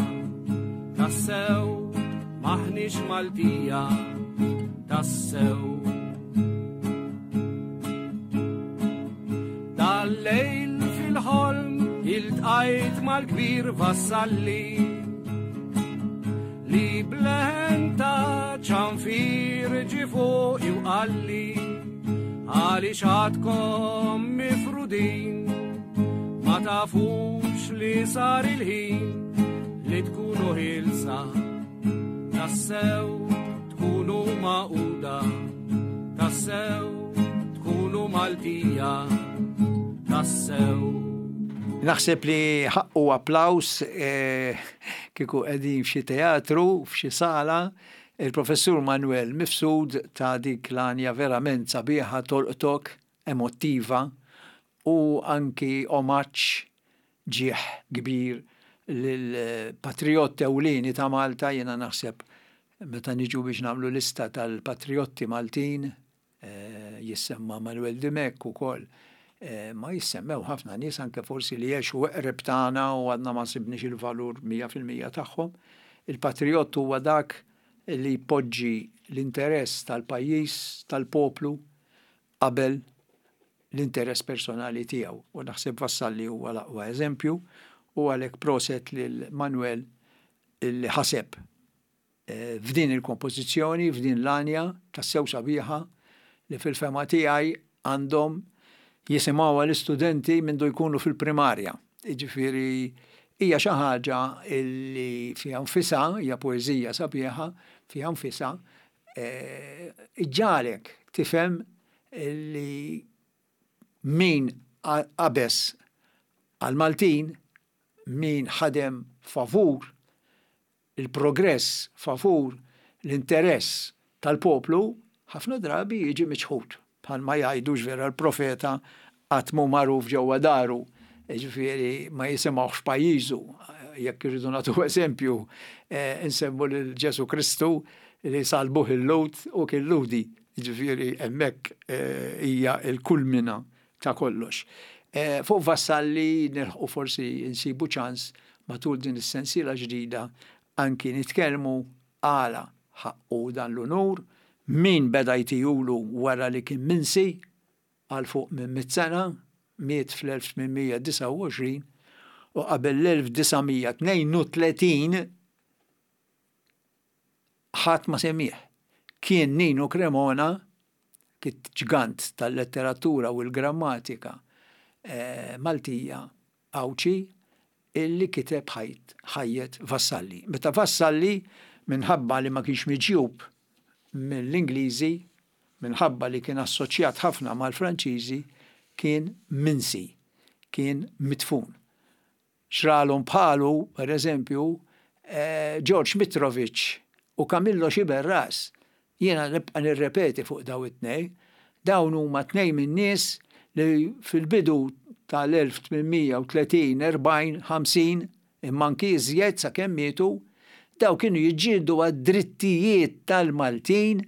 Tassew maħniex Maltija tassew. Dal-lejl fil-ħolm iltqajt mal-kbir vassalli li bleħen ta' ċanfir ġi fuqi u qalli għaliex għadkom mifrudin ma tafux li sar il-ħin li tkunu ħilsa tassew tkunu magħquda tassew tkunu Maltija tassew. Naħseb li ħaqqu applaws eh, kieku qegħdin f'xi teatru, f'xi sala, il-Professur Manuel Mifsud ta' dik l-għanja verament sabiħa tolqtok, emottiva u anki omaġġ ġieħ kbir lill-patrijott ewlieni ta' Malta, jiena naħseb meta niġu biex nagħmlu lista tal-patrijotti Maltin, jissemma Manuel Dimech ukoll, ma jissemmew ħafna nies anke forsi li għexu eqreb tagħna u għadna ma sibniex il-valur 100% tagħhom. Il-patrijott huwa dak li jpoġġi l-interess tal-pajjiż, tal-poplu qabel l-interess personali tiegħu u naħseb Vassalli huwa l-aqwa eżempju u għalhekk proset lil Manuel li ħaseb f'din il-kompożizzjoni, f'din l-għanja tassew sabiħa li fil-fehma tiegħi għandhom jisimgħuha l-istudenti mindu jkunu fil-primarja. Jiġifieri hija xi ħaġa li fiha nfisha, hija poeżija sabiħa fiha nfisha, iġġagħlek tifhem li min qabeż għall-Maltin, min ħadem favur il-progress, favur l-interess tal-poplu, ħafna drabi jiġi miċħud. Bħalma jgħidu vera l-profeta qatt mhu magħruf ġewwa daru, jiġifieri ma jisimgħuhx f'pajjiżu. Jekk irridu nagħtu eżempju, insemmu lil Ġesù Kristu li salbuh il-Lhud u kien Lhudi. Jiġifieri hemmhekk hija l-kulmina ta' kollox. Fuq Vassalli nilħqu forsi nsibu ċans matul din is-sensiela ġdida anki nitkellmu għala ħaqqu dan l-unur, min beda jtihulu wara li kien minsi għal fuq minn mitt sena, miet fl-1829 u qabel l-1932 ħadd ma semmieh. Kien Nino Cremona, ġgant tal-letteratura u l-grammatika Maltija Għawdxi, illi kiteb ħajjet Vassalli. Meta Vassalli, minħabba li ma kienx miġjub mill-Ingliżi, minħabba li kien assoċjat ħafna mal-Franċiżi, kien minsi, kien midfun. Xralhom bħalu, per eżempju, George Mitrovich u Camillo Sciberras. Jiena nibqa' nirrepeti fuq dawn it-tnejn. Dawn huma tnejn min-nies li fil-bidu tal-1830, 40, 50, imma anki iżjed sakemm mietu, dawn kienu jiġġieldu għad-drittijiet tal-Maltin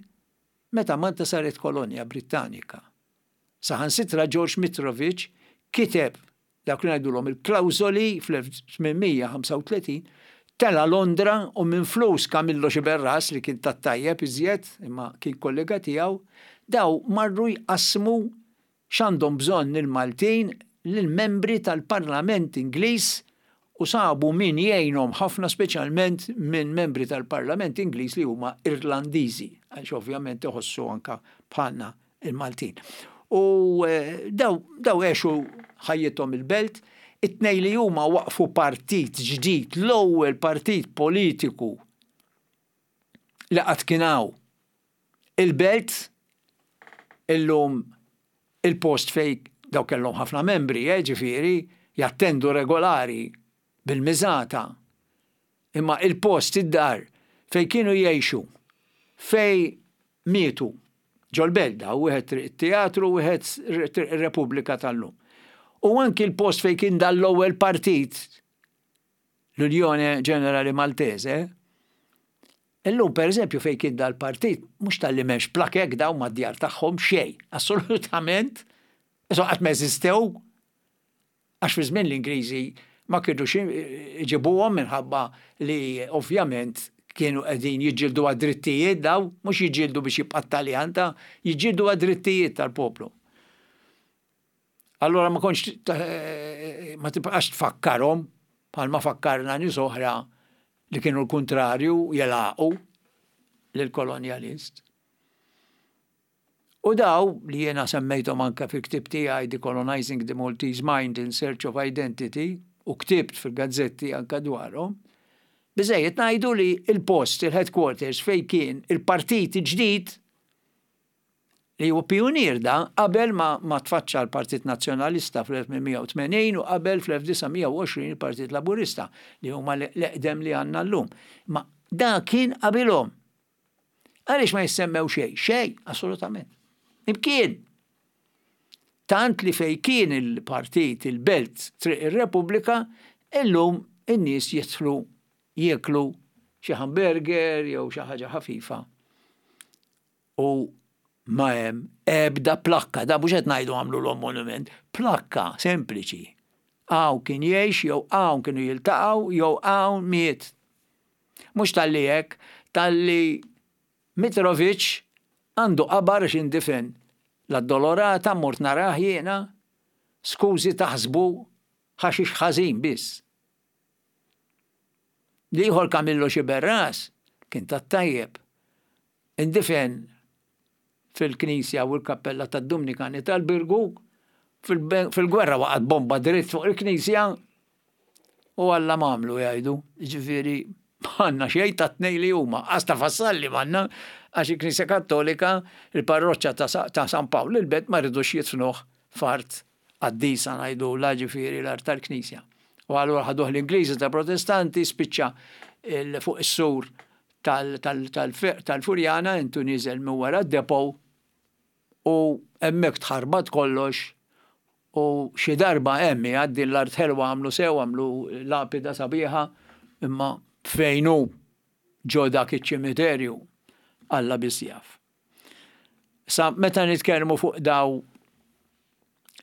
meta Malta saret kolonja Brittanika. Saħansitra George Mitrovich kiteb dawk li ngħidulhom il-klawżoli fl-1835, tela' Londra u minn flus Camillo Sciberras li kien tat-tajjeb iżjed imma kien kollega tiegħu, daw marru jqassmu x'għandhom bżonn il-Maltin lill-membri tal-Parlament Ingliż u sabu min jgħinhom ħafna speċjalment minn membri tal-Parlament Ingliż li huma Irlandiżi għax ovvjament iħossu anke bħalna il-Maltin. U eh, daw, daw għexu ħajjithom il-belt, it-tnej li huma waqfu partit ġdid, l-ewwel partit politiku li qatt kien hawn. Il-belt illum il-post fej daw kellhom ħafna membri, eh, ġifieri, jattendu regolari bil-miżata. Imma il-post id-dar fej kienu jgħixu, fej mietu ġol-belt daw, wieħed Triq it-Teatru u wieħed Triq ir-Repubblika tal-lum. U anki l-post fejn kien dan l-ewwel partit, l-Unione Generale Maltese, illum pereżempju fejn kien dal-partit, mhux talli m'hemmx plakek daw mad-djar tagħhom xejn, assolutament, qatt ma eżistew. Għax fi żmien l-Ingliżi ma kinux iġibuhom minħabba li ovvjament kienu qegħdin jiġġieldu għad-drittijiet daw, mhux jiġġieldu biex jibqa' t-Taljan ta' jiġġieldu għad-drittijiet tal-poplu. Allura ma kontx ma tibqax tfakkarhom bħalma fakkarna nies oħra li kienu l-kuntrarju jelaqu lill-kolonjalist. U daw, li jiena semmejthom anke fil-ktieb tiegħi Decolonizing the Maltese Mind in Search of Identity, u ktibt fil-gazzetti anke dwarhom, biżżejjed ngħidu li l-post, il-headquarters fejn kien il-partit il-ġdid, li huwa pijunier da, qabel ma, ma tfaċċa l-Partit Nazzjonalista fl-1880 u qabel fl-1920 il-Partit Laburista, li huma l-eqdem li għandna llum. Ma da kien qabilhom. Għaliex ma jissemmew xejn? Xejn, assolutament. Imkien. Tant li fej kien il-partit, il-belt, Triq ir-Repubblika, illum in-nies jidħlu jieklu xi hamburger jew xi ħaġa ħafifa. U ma hemm ebda plakka, da mhux qed ngħidu għamlu monument, plakka sempliċi. Hawn kien jgħix jew hawn kienu jiltaqgħu jew hawn miet. Mhux talli hekk, talli Mitrovic għandu qabar għax indifen l-Addolorata mort narah jiena, skużi taħsbu ħaxix ħażin biss. L-ieħor Camillo Sciberras kien tat-tajjeb. Indifen fil-knisja u l-kappella tad-Dumnikani tal-Birgu, fil-gwerra waqgħet bomba dritt fuq il-knisja u Alla m'għamlu jgħidu, jiġifieri m'għandna xejn tat-tnejn li huma, qas ta' Vassalli m'għandna għax il-Knisja Kattolika, il-parroċċa ta' San Pawl il-Belt ma ridux jidfnuh f'art qaddisa ngħidulha, ġifieri l-art tal-Knisja. U allura ħaduh l-Ingliżi ta' Protestanti, spiċċa fuq is-sur tal-Furjana, intu nieżel minn wara d-depot u hemmhekk tħarbat kollox u xi darba hemm qiegħed din l-art ħelwa għamlu sew, għamlu lapida sabiħa, imma fejn hu ġo dak iċ-ċimiterju Alla biss jaf. Sa meta nitkellmu fuq daw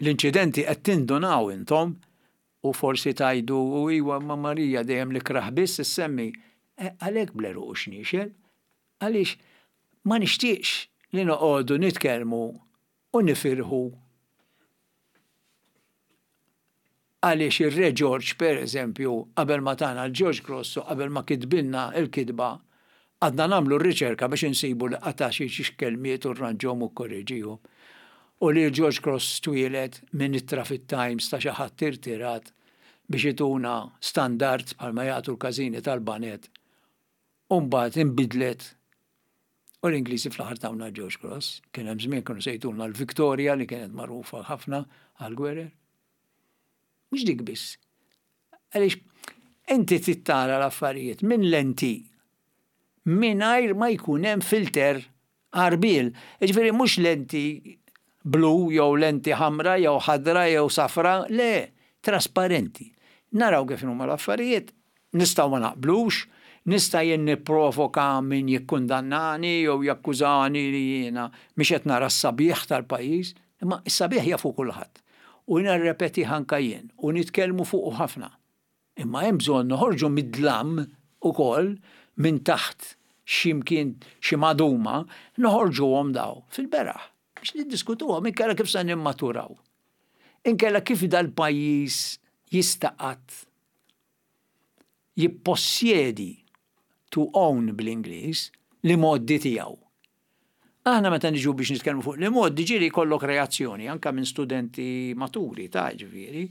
l-inċidenti qed tindunaw intom u forsi tgħidu u iwa ma Marija dejjem l-ikrah biss issemmi. E, għalhekk bl-għeruq u xniexel, għaliex ma nixtieqx li noqogħdu nitkellmu u nifirħu għaliex ir-Re Ġorġ, per eżempju, qabel ma tana l-George Cross u qabel ma kitbilna l-kitba, għadna nagħmlu r-riċerka biex insibu li qata' xi xi kelmiet u rranġhom u kkoreġihom. U li l-George Cross twieled minn ittra fit-Times ta' xi ħadd irtirat biex ituna standard bħalma jagħtu l-każini tal-baned u mbagħad inbidlet u l-Ingliżi fl-aħħar tawna l-George Cross. Kien hemm żmien kienu se jtuna l-Victoria li kienet magħrufa ħafna għall-gwerer. Mhux dik biss. Għaliex inti trid tara l-affarijiet minn lenti mingħajr ma jkun hemm filter għarbiel. Jiġifieri mhux lenti blu jew lenti ħamra jew ħadra jew safra, le, trasparenti. Naraw kif inhuma l-affarijiet, nistgħu ma naqblux, nista' jien nipprovoka min jikkundannani jew jakkużani li jiena mhix qed nara s-sabiħ tal-pajjiż, imma s-sabiħ jafu kulħadd. U nirrepetih anke jien u nitkellmu fuqu ħafna. Imma hemm bżonn noħorġu mid-dlam ukoll, minn taħt xi mkien xi maduma, noħorġuhom daw fil-beraħ biex niddiskutuhom inkella kif se nimmaturaw. Inkella kif dal-pajjiż jista' qatt jippossjedi, to own bl-Ingliż, l-imgħoddi tiegħu. Aħna meta niġu biex nitkellmu fuq l-imgħoddi ġieli jkollok reazzjoni anke minn studenti maturi ta' ġifieri.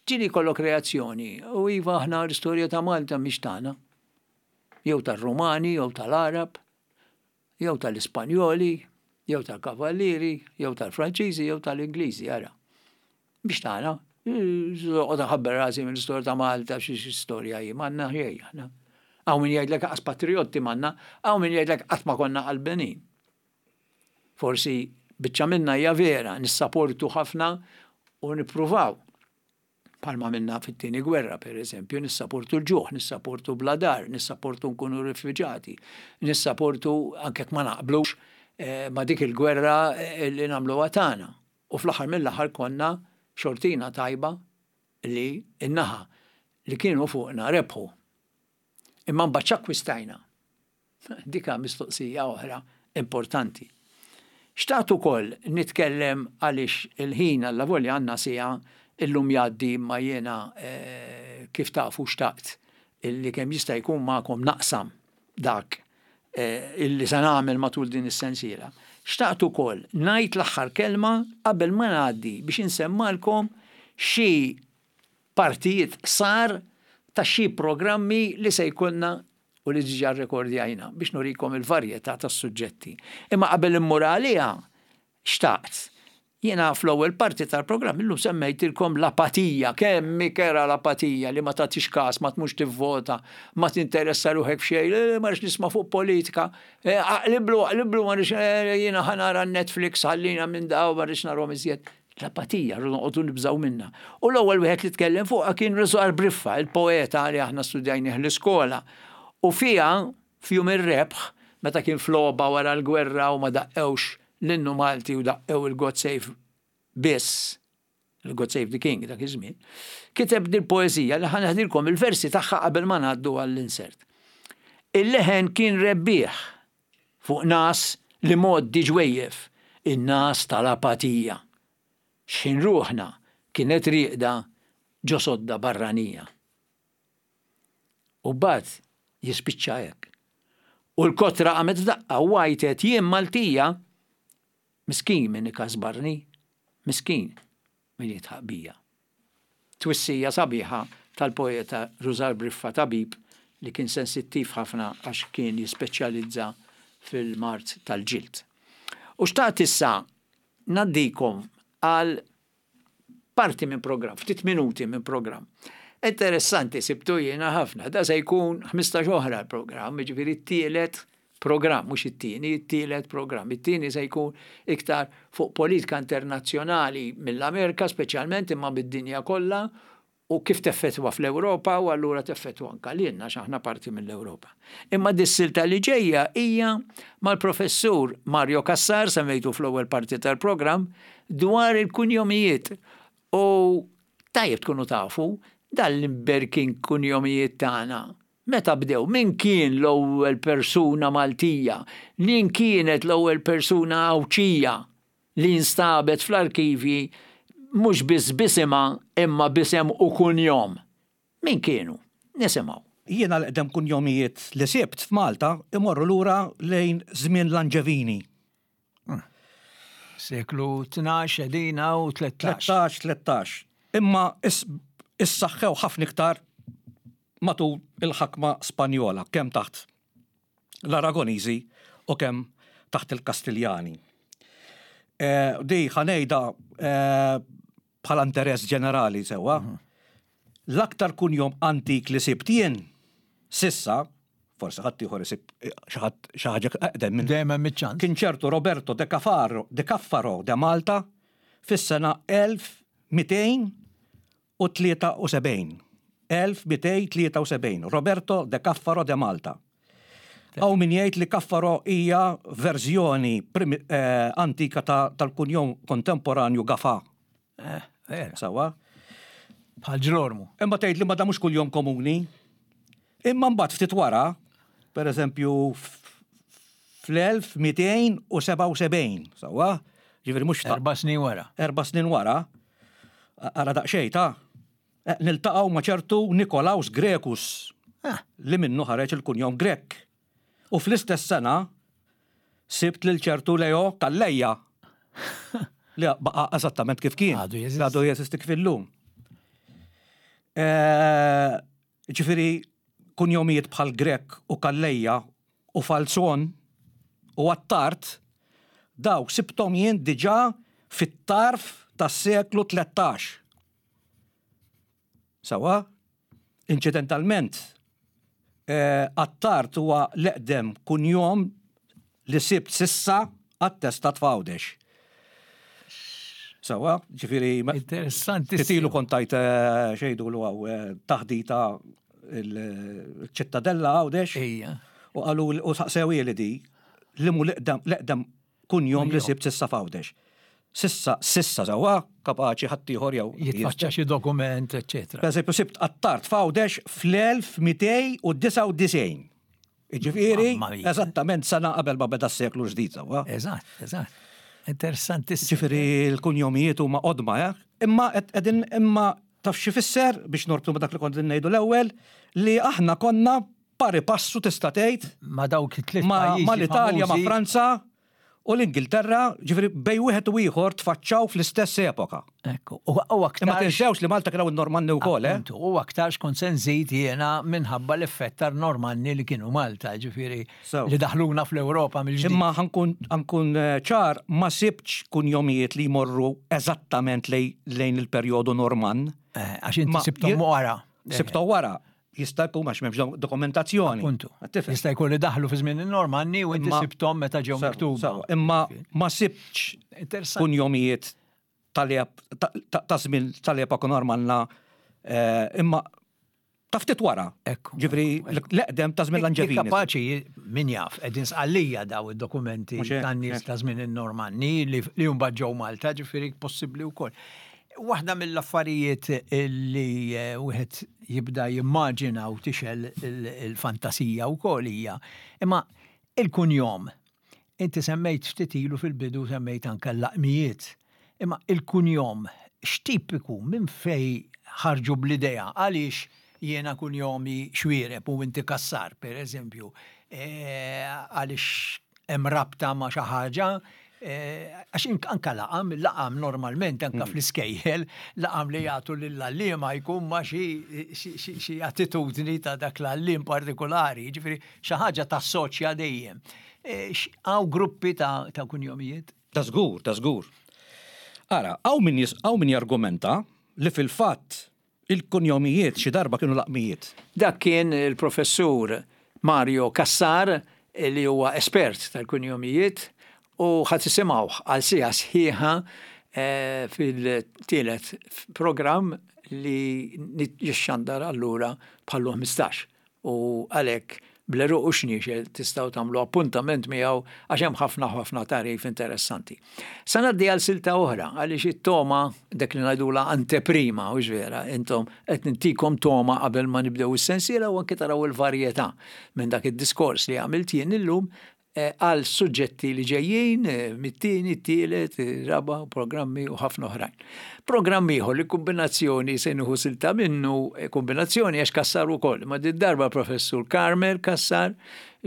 Ġieli jkollok reazzjoni u iva aħna l-istorja ta' Malta mhix tagħna. Jew tar-Rumani, jew tal-Għarab, jew tal-Ispanjoli, jew tal-Kavallieri, jew tal-Franċiżi, jew tal-Ingliżi, ara. Biex tagħna, Noqgħod nħabber rasi mill-istorja ta' Malta xi storja hi, m'għandna xejn aħna. Hawn min jgħidlek qas patrijotti m'għandna, hawn min jgħidlek qatt ma konna qalbenin. Forsi biċċa minna hija vera, nissaportu ħafna u nippruvaw. Bħalma minna fit-tieni gwerra, per eżempju, nissaportu l-ġuħ, nissaportu bla dar, nissaportu nkunu rifuġati, nissaportu anke ma naqblux eh, ma dik il-gwerra eh, li nagħmluha tagħna. U fl-aħħar mill-aħħar konna xortina tajba li n-naħa li kienu fuqna rebħu. Imma mbagħad x'akkwistajna? Dik mistoqsija oħra importanti. Xtaqt ukoll nitkellem għaliex il-ħin allavolja għandna siegħa illum jgħaddi imma jiena eh, kif tafu xtaqt illi kemm jista' jkun magħkom naqsam dak illi se nagħmel matul din is-sensiela. Xtaqt ukoll ngħid l-aħħar kelma qabel ma ngħaddi biex insemmalkom xi partijiet qsar ta' xi programmi li se jkollna u li diġà rrekordjajna biex nurikom il-varjetà tas-suġġetti. Imma qabel immur għaliha, xtaqt. Jiena fl-ewwel parti tal-programm illum semmejtilkom l-apatija, kemm hi kerha l-apatija li ma tagħtix każ, ma tmurx tivvota, ma tinteressa ruħek f'xejn, eh, ma rridx nisma' fuq politika, eh, aqliblu, aqliblu, ma rridx eh, jiena ħa nara Netflix ħallina minn daw, ma rridx narhom iżjed. L-apatija, rridu noqogħdu nibżgħu minnha. U l-ewwel wieħed li tkellem fuqha kien Rużar Briffa, il-poeta li aħna studjajnih l-iskola. U fiha F'jum ir-rebħ, meta kien f'logħba wara l-gwerra u ma daqqewx l-innu Malti u daqqew il-God Save biss, il-God Save the King dak iż-żmien, kiteb dil-poeżija li ħa neħdilkom il-versi tagħha qabel ma ngħaddu għall-insert. Il-leħen kien rebbieħ fuq ngħas l-imgħoddi ġwejjef, in-ngħas tal-apatija. X'ħin ruħna kienet rieqda ġo sodda barranija. U mbagħad jispiċċa hekk. U l-kotra qamet f'daqqa u għajtet jien Maltija. Miskin min ikasbarni, miskin min jidħaq bija. Twissija sabiħa tal-poeta Rużar Briffa Tabib li kien sensittiv ħafna għax kien jispeċjalizza fil-mard tal-ġild. U xtaqt issa ngħaddikom għal parti minn programm, ftit minuti minn programm. Interessanti sibtu jiena ħafna, da se jkun 15 oħra l-programm, jiġifieri t-tielet programm, mhux it-tieni, it-tielet programm. It-tieni se jkun iktar fuq politika internazzjonali mill-Amerika speċjalment imma mid-dinja kollha u kif teffettwa fl-Ewropa u allura teffettwa anka lilna għax aħna parti mill-Ewropa. Imma dis-silta li ġejja hija mal-Professur Mario Cassar, semmejtu fl-ewwel parti tal-programm, dwar il-kunjomijiet. U tajjeb tkunu tafu dan l-imberkin kunjomijiet tagħna meta bdew, min kien l-ewwel persuna Maltija, min kienet l-ewwel persuna Għawdxija li nstabet fl-arkivji mhux biss b'isimha imma b'isem u kunjom. Min kienu? Nisimgħu. Jiena l-eqdem kunjomijiet li sibt f'Malta imorru lura lejn żmien l-Anġevini. Seklu 12 qegħdin hawn 13. 13, 13. Imma issaħħew ħafna iktar matul il-ħakma Spanjola, kemm taħt l-Aragoniżi u kemm taħt il-Kastiljani. Eh, di ħanejda eh, bħala interess ġenerali sewwa. Mhm. L-aktar kunjom antik li sibt jien sissa, forsi ħadd ieħor isib eh, xi ħaġa eqdem minn. Dejjem hemm iċ-ċans. Kien ċertu Roberto de Cafaro, de Caffaro de Malta fis-sena 1273. 1273, Roberto de Caffaro de Malta. Hawn min jgħid li Caffaro hija verżjoni eh, antika tal-kunjom kontemporanju Gafà. Eh, vera. Sawa. Bħal ġlormu. Imma tgħid li ma da mhux kuljom komuni. Imma mbagħad ftit wara, per eżempju fl-1277, sawa, ġifieri mhux Erba' snin wara. Erba' snin wara, ara daqsxejn ta' eh, niltaqgħu ma' ċertu Nikolaus Grekus ah. li minnu ħareġ il-kunjom Grek. U fl-istess sena sibt lil ċertu Leo Calleja li baqa' eżattament kif kien. Għadu jeżisti. Għadu jeżisti kif illum. Eh, ġifieri kunjomijiet bħal Grech u Calleja u Falzon u Attard dawk sibthom jien diġà fit-tarf tas-seklu 13. Sewwa? Inċidentalment, Attard huwa l-eqdem kunjom li sibt s'issa attestat f'Għawdex. Sewwa, ġifieri. Interessanti. Ftit ilu kont tajt x'jgħidulu hawn taħdita l-Ċittadella Għawdex. Ejja. U qalu u saqsewhieli di li mhu l-eqdem Kunjom li sibt s'issa f'Għawdex. S'issa, s'issa sewwa, kapaċi ħaddieħor jew. Jitfaċċa xi dokument, eċċetera. Per eżempju, sibt Attard f'Għawdex fl-1299. Jiġifieri, eżattament sena qabel ma beda s-seklu l-ġdid sewwa. Eżatt, eżatt. Interessantissimu. Ġifieri l-kunjomijiet huma qodma, eh? Imma qegħdin imma taf x'ifisser biex norbtu ma' dak li kont ngħidu l-ewwel li aħna konna pari passu tista' tgħid ma' dawk it-tliet pajjiżi ma' l-Italja, ma' Franza u l-Ingilterra, ġifieri bejn wieħed u ieħor tfaċċaw fl-istess epoka. Ekku, u aktar. Imma tinsewx li Malta kien hawn in-Normanni wkoll, eh? Appuntu, u aktarx kont se nżid jiena minħabba l-effett tar-Normanni li kienu Malta, ġifieri li daħluna fl-Ewropa mill-ġdid. Imma ħa nkun ċar, ma sibtx kunjomijiet li jmorru eżattament lejn il-perjodu Normann. Għax inti sibthom wara. Sibthom wara. Jista' jkun għax m'hemmx dokumentazzjoni. Appuntu. Jista' jkun li daħlu fi żmien in-Normanni u inti sibthom meta ġew miktuba. Imma ma sibtx kunjomijiet ta' żmien tal-epoka Normanna eh, imma ta' ftit wara. Ġifri, l-eqdem ta' żmien l-Anġevini. Kapaċi min jaf, qegħdin sqallija daw id-dokumenti tan-nies ta' żmien in-Normanni li mbagħad ġew Malta, ġifieri possibbli wkoll. Waħda mill-affarijiet li eh, wieħed jibda jimmaġina u tixel il-fantasija wkoll hija imma il-kunjom. Inti semmejt ftit ilu fil-bidu semmejt anke l-laqmijiet. Imma il-kunjom x'tip ikun minn fej ħarġu bl-idea għaliex jiena kunjomi Xuereb u inti Cassar, per eżempju, eh, għaliex hemm rabta ma' xi ħaġa. Għax anka laqam, laqam normalment anka fl-iskejjel, laqam li jagħtu lill-għalliema jkun ma xi attitudni ta' dak l-għalliem partikolari, jiġifieri xi ħaġa tassoċja dejjem. Hawn gruppi ta' kunjomijiet? Ta' żgur, ta' żgur. Ara, hawn min hawn min jargumenta li fil-fatt Il-kunjomijiet xi darba kienu laqmijiet. Dak kien il-Professur Mario Cassar li huwa espert tal-kunjomijiet u ħa tisimgħuh għal siegħa sħiħa fil-tielet programm li jixxandar allura bħal 15. U għalhekk bl-għeruq u xniexel tistgħu tagħmlu appuntament miegħu għax hemm ħafna ħafna tagħrif interessanti. Sa ngħaddi għal silta oħra għaliex it-togħma dak li ngħidulha anteprima, hux vera, intom qed nintikom togħma qabel ma nibdew is-sensiela u anke taraw il-varjetà minn dak id-diskors li għamilt jien illum għal suġġetti li ġejjin mit-tieni, t-tielet, raba, programmi u ħafna oħrajn. Programm ieħor li kombinazzjoni se nieħu silta minnu, eh, kombinazzjoni għax Cassar ukoll, ma di darba professur Carmel Cassar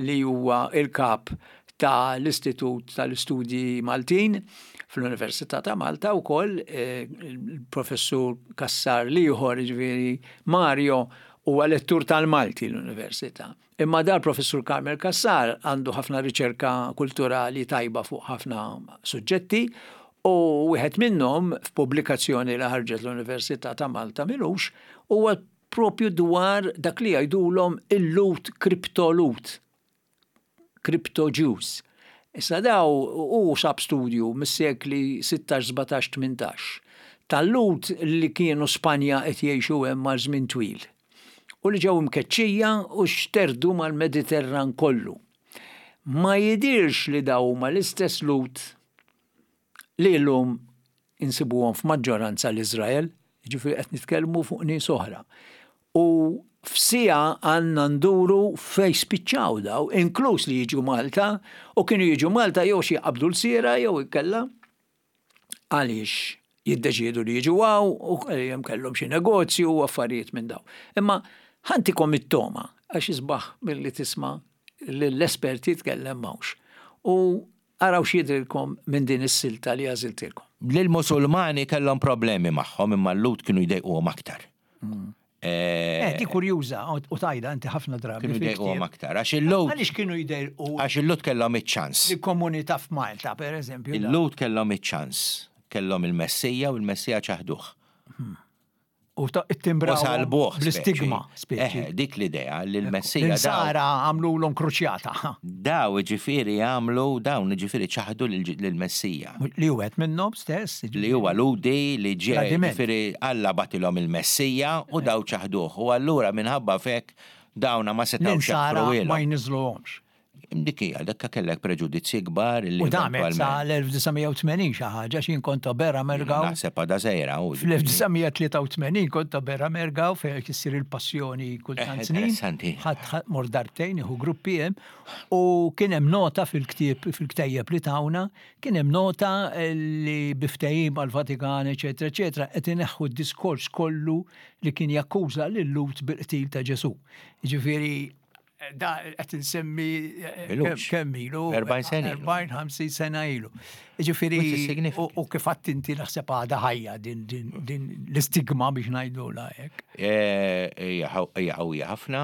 li huwa il-kap ta' l-Istitut tal-Istudji Maltin fl-Università ta' Malta wkoll eh, il-professur Cassar l-ieħor ġifieri Mario huwa lettur tal-Malti l-Università. Imma dal-Professur Carmel Cassar għandu ħafna riċerka kulturali tajba fuq ħafna suġġetti u wieħed minnhom f'pubblikazzjoni li ħarġet l-Università ta' Malta m'ilux huwa propju dwar dak li jgħidulhom il-Lhud kriptolut, crypto Jews. Issa daw hu sab studju mis-sekli 16, 17, 18 tal-Lhud li kienu Spanja qed jgħixu hemm għal żmien twil. u li ġew imkeċċija u xterdu mal-Mediterran kollu. Ma jidhirx li dawn huma l-istess Lhud li llum insibuhom f'maġġoranza l-Iżrael, jiġifieri qed nitkellmu fuq nies oħra. U f'siegħa għandna nduru fejn spiċċaw daw, inkluż li jiġu Malta, u kienu jiġu Malta jew xi jqabbdu l-siera jew inkella għaliex jiddeċiedu li jiġu hawn u hemm kellhom xi negozju u affarijiet minn dawn. Imma ħantikom it-togħma għax isbaħ milli tisma' lill-espert jitkellem m'hawnx. U araw x'jidhrilkom minn din is-silta li għażiltilkom. L-Musulmani kellhom problemi magħhom imma l-Lhud kienu jdejquhom aktar. Eh, di kurjuża u tajda inti ħafna drabi. Kienu jdejquhom aktar. Għax il-Lhud. Għaliex kienu jdejqu? Għax il-Lhud kellhom iċ-ċans. Il-komunità f'Malta, per eżempju. Il-Lhud kellhom iċ-ċans. Kellhom il-Messija u l-Messija ċaħduh. U timbraw. Salbuh. Bl-istigma. Eh, dik l-idea li l-Messija. Sara għamlu l-kruċjata. Daw ġifieri għamlu, dawn ġifieri ċaħdu lill-Messija. Li hu wieħed minnhom stess. Li huwa Lhudi li ġie ġifieri Alla bagħtilhom il-Messija u daw ċaħduh. U allura minħabba f'hekk dawna ma setgħux jaħfruhielhom. Ma jniżżluhomx. Dik hija, dakka kellek preġudizzji kbar li. U damet sa l-1980 xi ħaġa x'jien kont Bera Mergaw. Naħseb għadha żgħira. Fl-1983 kont Bera Mergaw fejn issir il-passjoni kull tant snin. Interessanti. Ħadd mor darbtejn nieħu gruppi hemm u kien hemm nota fil-ktieb fil-ktejjeb li tawna Kien hemm nota li bi ftehim mal-Vatikan, eċetera, eċetera, qed ineħħu d-diskors kollu li kien jakkuża lil-Lhud bil-qtil ta' Ġesù. Jiġifieri da qed insemmi kemm ilu? 40 sena. 40, 50 sena ilu. Jiġifieri u kif għedt inti naħseb għadha ħajja din l-istigma biex ngħidulha hekk. Hija qawwija ħafna.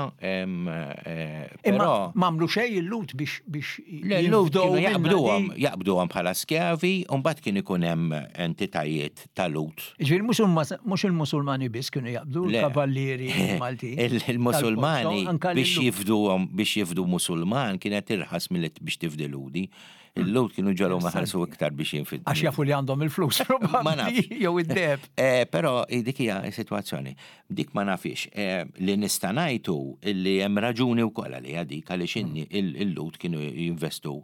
Imma m'għamlu xejn il-Lhud biex Le, l-Lhud kienu jaqbduhom, jaqbduhom bħala skjavi, u mbagħad kien ikun hemm entitajiet ta' Lhud. Jiġifieri mhux il-Musulmani biss kienu jaqbdu l-kavallieri Maltin. Il-Musulmani biex jifduhom, biex jifdu Musulman kienet irħas milli biex tifdi Lhudi. Il-Lhud kienu ġalhom iħallsu iktar biex jinfiddu. Għax jafu li għandhom il-flus, probabbli, jew id-deheb. Però dik hija s-sitwazzjoni. Dik ma nafhiex. Li nista' ngħid hu li hemm raġuni wkoll għaliha dik għaliex il-Lhud kienu jinvestu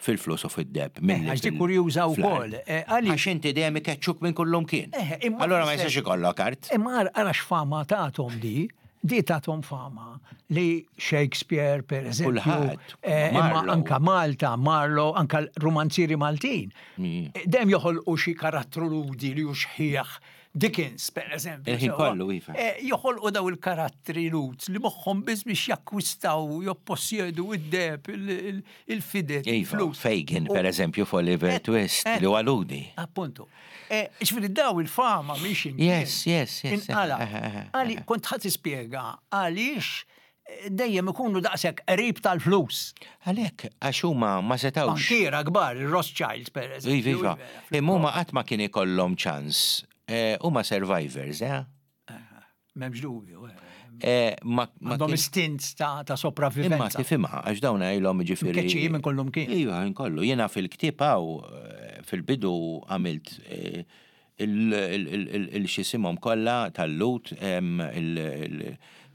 fil-flus u fid-deheb milli Għax dik kurjuża wkoll. Għax inti dejjem ikeċċuk minn kullumkien. Allura ma jistax ikollok art. Imma ara x'fama tagħthom di, di tagħthom fama li Shakespeare per eżempju. Kulħadd. Imma anka Malta, Marlowe, anka rumanzieri Maltin. Dejjem joħolqu xi karattru Lhudi li hu xħiħ. Dickens, per eżempju. Il-ħin kollu, iva. Eh, joħolqu daw il-karattri Lhud li moħħhom biss biex jakkwistaw, joppossjedu id-deheb, il-fidet, iva, il-flus. Fagin, per eżempju, f'Oliver eh, Twist, eh, li huwa Lhudi. Appuntu. Ġifieri daw il-fama mhix Yes, yes, yes. Inqala. Għali, kont ħadd tispjega għaliex dejjem ikunu daqshekk qrib tal-flus. Għalhekk, għax huma ma setgħux. Bankiera kbar, il-Rothschilds per eżempju. Iva, iva. Imma huma qatt ma kien ikollhom ċans. Eh, huma survivors, eh? M'hemmx dubju. Eh. Eh, Għandhom istint ta' sopravivenza. Imma tifhimha għax dawn ilhom ġifieri. Keċċi minn kollhom kien. Iva, minn kollu. Jiena fil-ktieb hawn eh, fil-bidu għamilt il-xisimhom kollha tal-Lut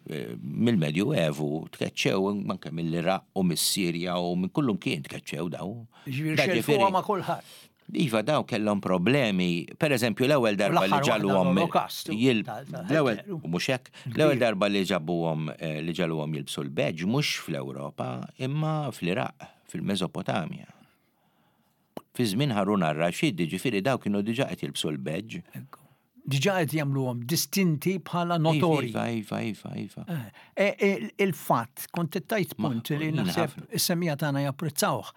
mill-Medju Evu tkeċċew anke mill-Iraq u mis-Sirja u minn kullum kien tkeċċew daw. Ġifieri xelfuha ma' kulħadd. Iva daw kellhom problemi, per eżempju l-ewwel darba li ġaluhom l-ewwel mhux hekk, l-ewwel darba li ġabuhom eh, li ġaluhom jilbsu l-badge mhux fl-Ewropa imma fl-Iraq, fil-Mesopotamja. Fi żmien Harun ar-Rashid, jiġifieri dawk kienu diġà qed jilbsu l-badge. Ekku. Diġà qed jagħmluhom distinti bħala notorji. Iva, iva, iva, iva. Eh, eh, eh, il-fatt, kont tajt punt li naħseb is-semija tagħna japprezzawh.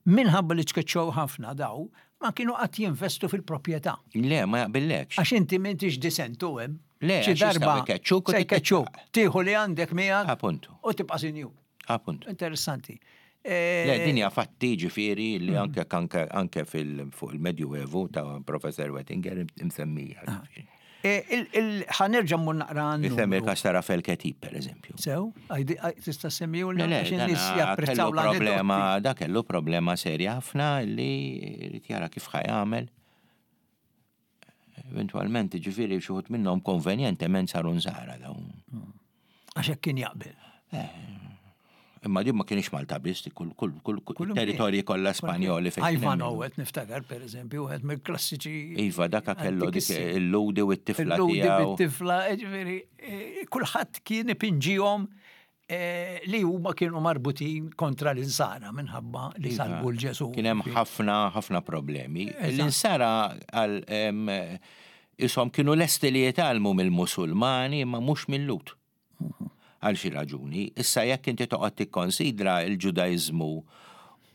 Minħabba li tkeċċew ħafna daw, ma kienu qatt jinvestu fil-proprjetà. Le, ma jaqbillekx. Għax inti m'intix disentu hemm. Le, xi darba jkeċċuk se jkeċċuk. Tieħu li għandek miegħek. Appuntu. U tibqa' sinjur. Appuntu. Interessanti. Le, din hija fatti ġifieri li mm. anke anke anke fil fuq il-Medju Evu ta' Professor Wettinger imsemmija. Ah. E, ħanerġa' mmur naqra għandu. Isemmi il-każ ta' Rafael Ketib, per eżempju. Sew, tista' semmiju l nies japprezzaw problema, da kellu problema serja ħafna li jrid jara kif ħajamel. Eventualment, ġifieri xi wħud minnhom konvenjentement saru nżara dawn. Hmm. Għax hekk kien jaqbel. Eh, imma din ma kienx Malta biss, kull kull kull territorji kollha Spanjoli fejn. Ivan Owet niftakar pereżempju wieħed mill-klassiċi. Iva daka kellu dik il-ludi u t-tifla tiegħu. Il-ludi bit-tifla, ġifieri eh, kulħadd kien ipinġihom Eh, li huma kienu marbutin kontra l-insara minħabba li iva, salbu l-Ġesu. Kien hemm ħafna ħafna problemi. L-insara għal isom kienu lesti li jitgħallmu mill-Musulmani imma mhux mill-Lut. Mhm. Għal xi raġuni. Issa jekk inti toqgħod tikkonsidra l-Ġudaiżmu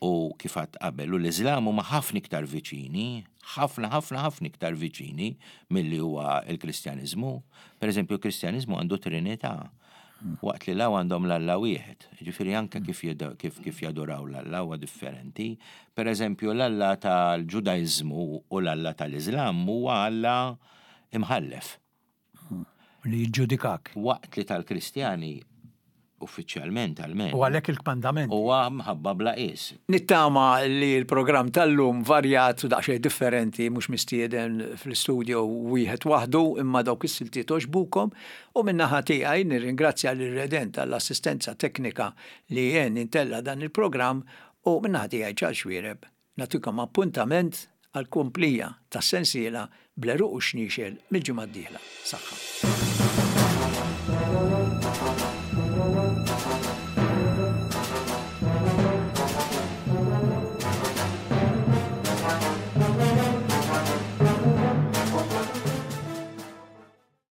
u kif għadt qabel u l-Iżlam huma ħafna iktar viċini, ħafna ħafna ħafna iktar viċini milli huwa l-Kristjaniżmu. Per eżempju, l-Kristjaniżmu għandu Trinità. Waqt li law għandhom l-Alla wieħed. Ġifieri anke kif kif kif jaduraw l-Alla huwa differenti. Per eżempju, l-Alla tal-Ġudaiżmu u l-Alla tal-Iżlam huwa Alla imħallef. Li jiġġudikak. Waqt li tal-Kristjani uffiċjalment almenu. U għalhekk il-kmandament. Huwa mħabba bla qies. Nittama li l-programm tal-lum varjat u daqsxejn differenti mhux mistieden fl-istudio wieħed waħdu imma dawk is-siltiet għoġbukom u min-naħa tiegħi nirringrazzja lil Redent għall-assistenza teknika li għen intella' dan il-programm u min-naħa tiegħi Charles Xuereb Nagħtikom appuntament għall-komplija tas-sensiela bl-għeruq u x-xniexel mill-ġimgħa d-dieħla. Saħħa.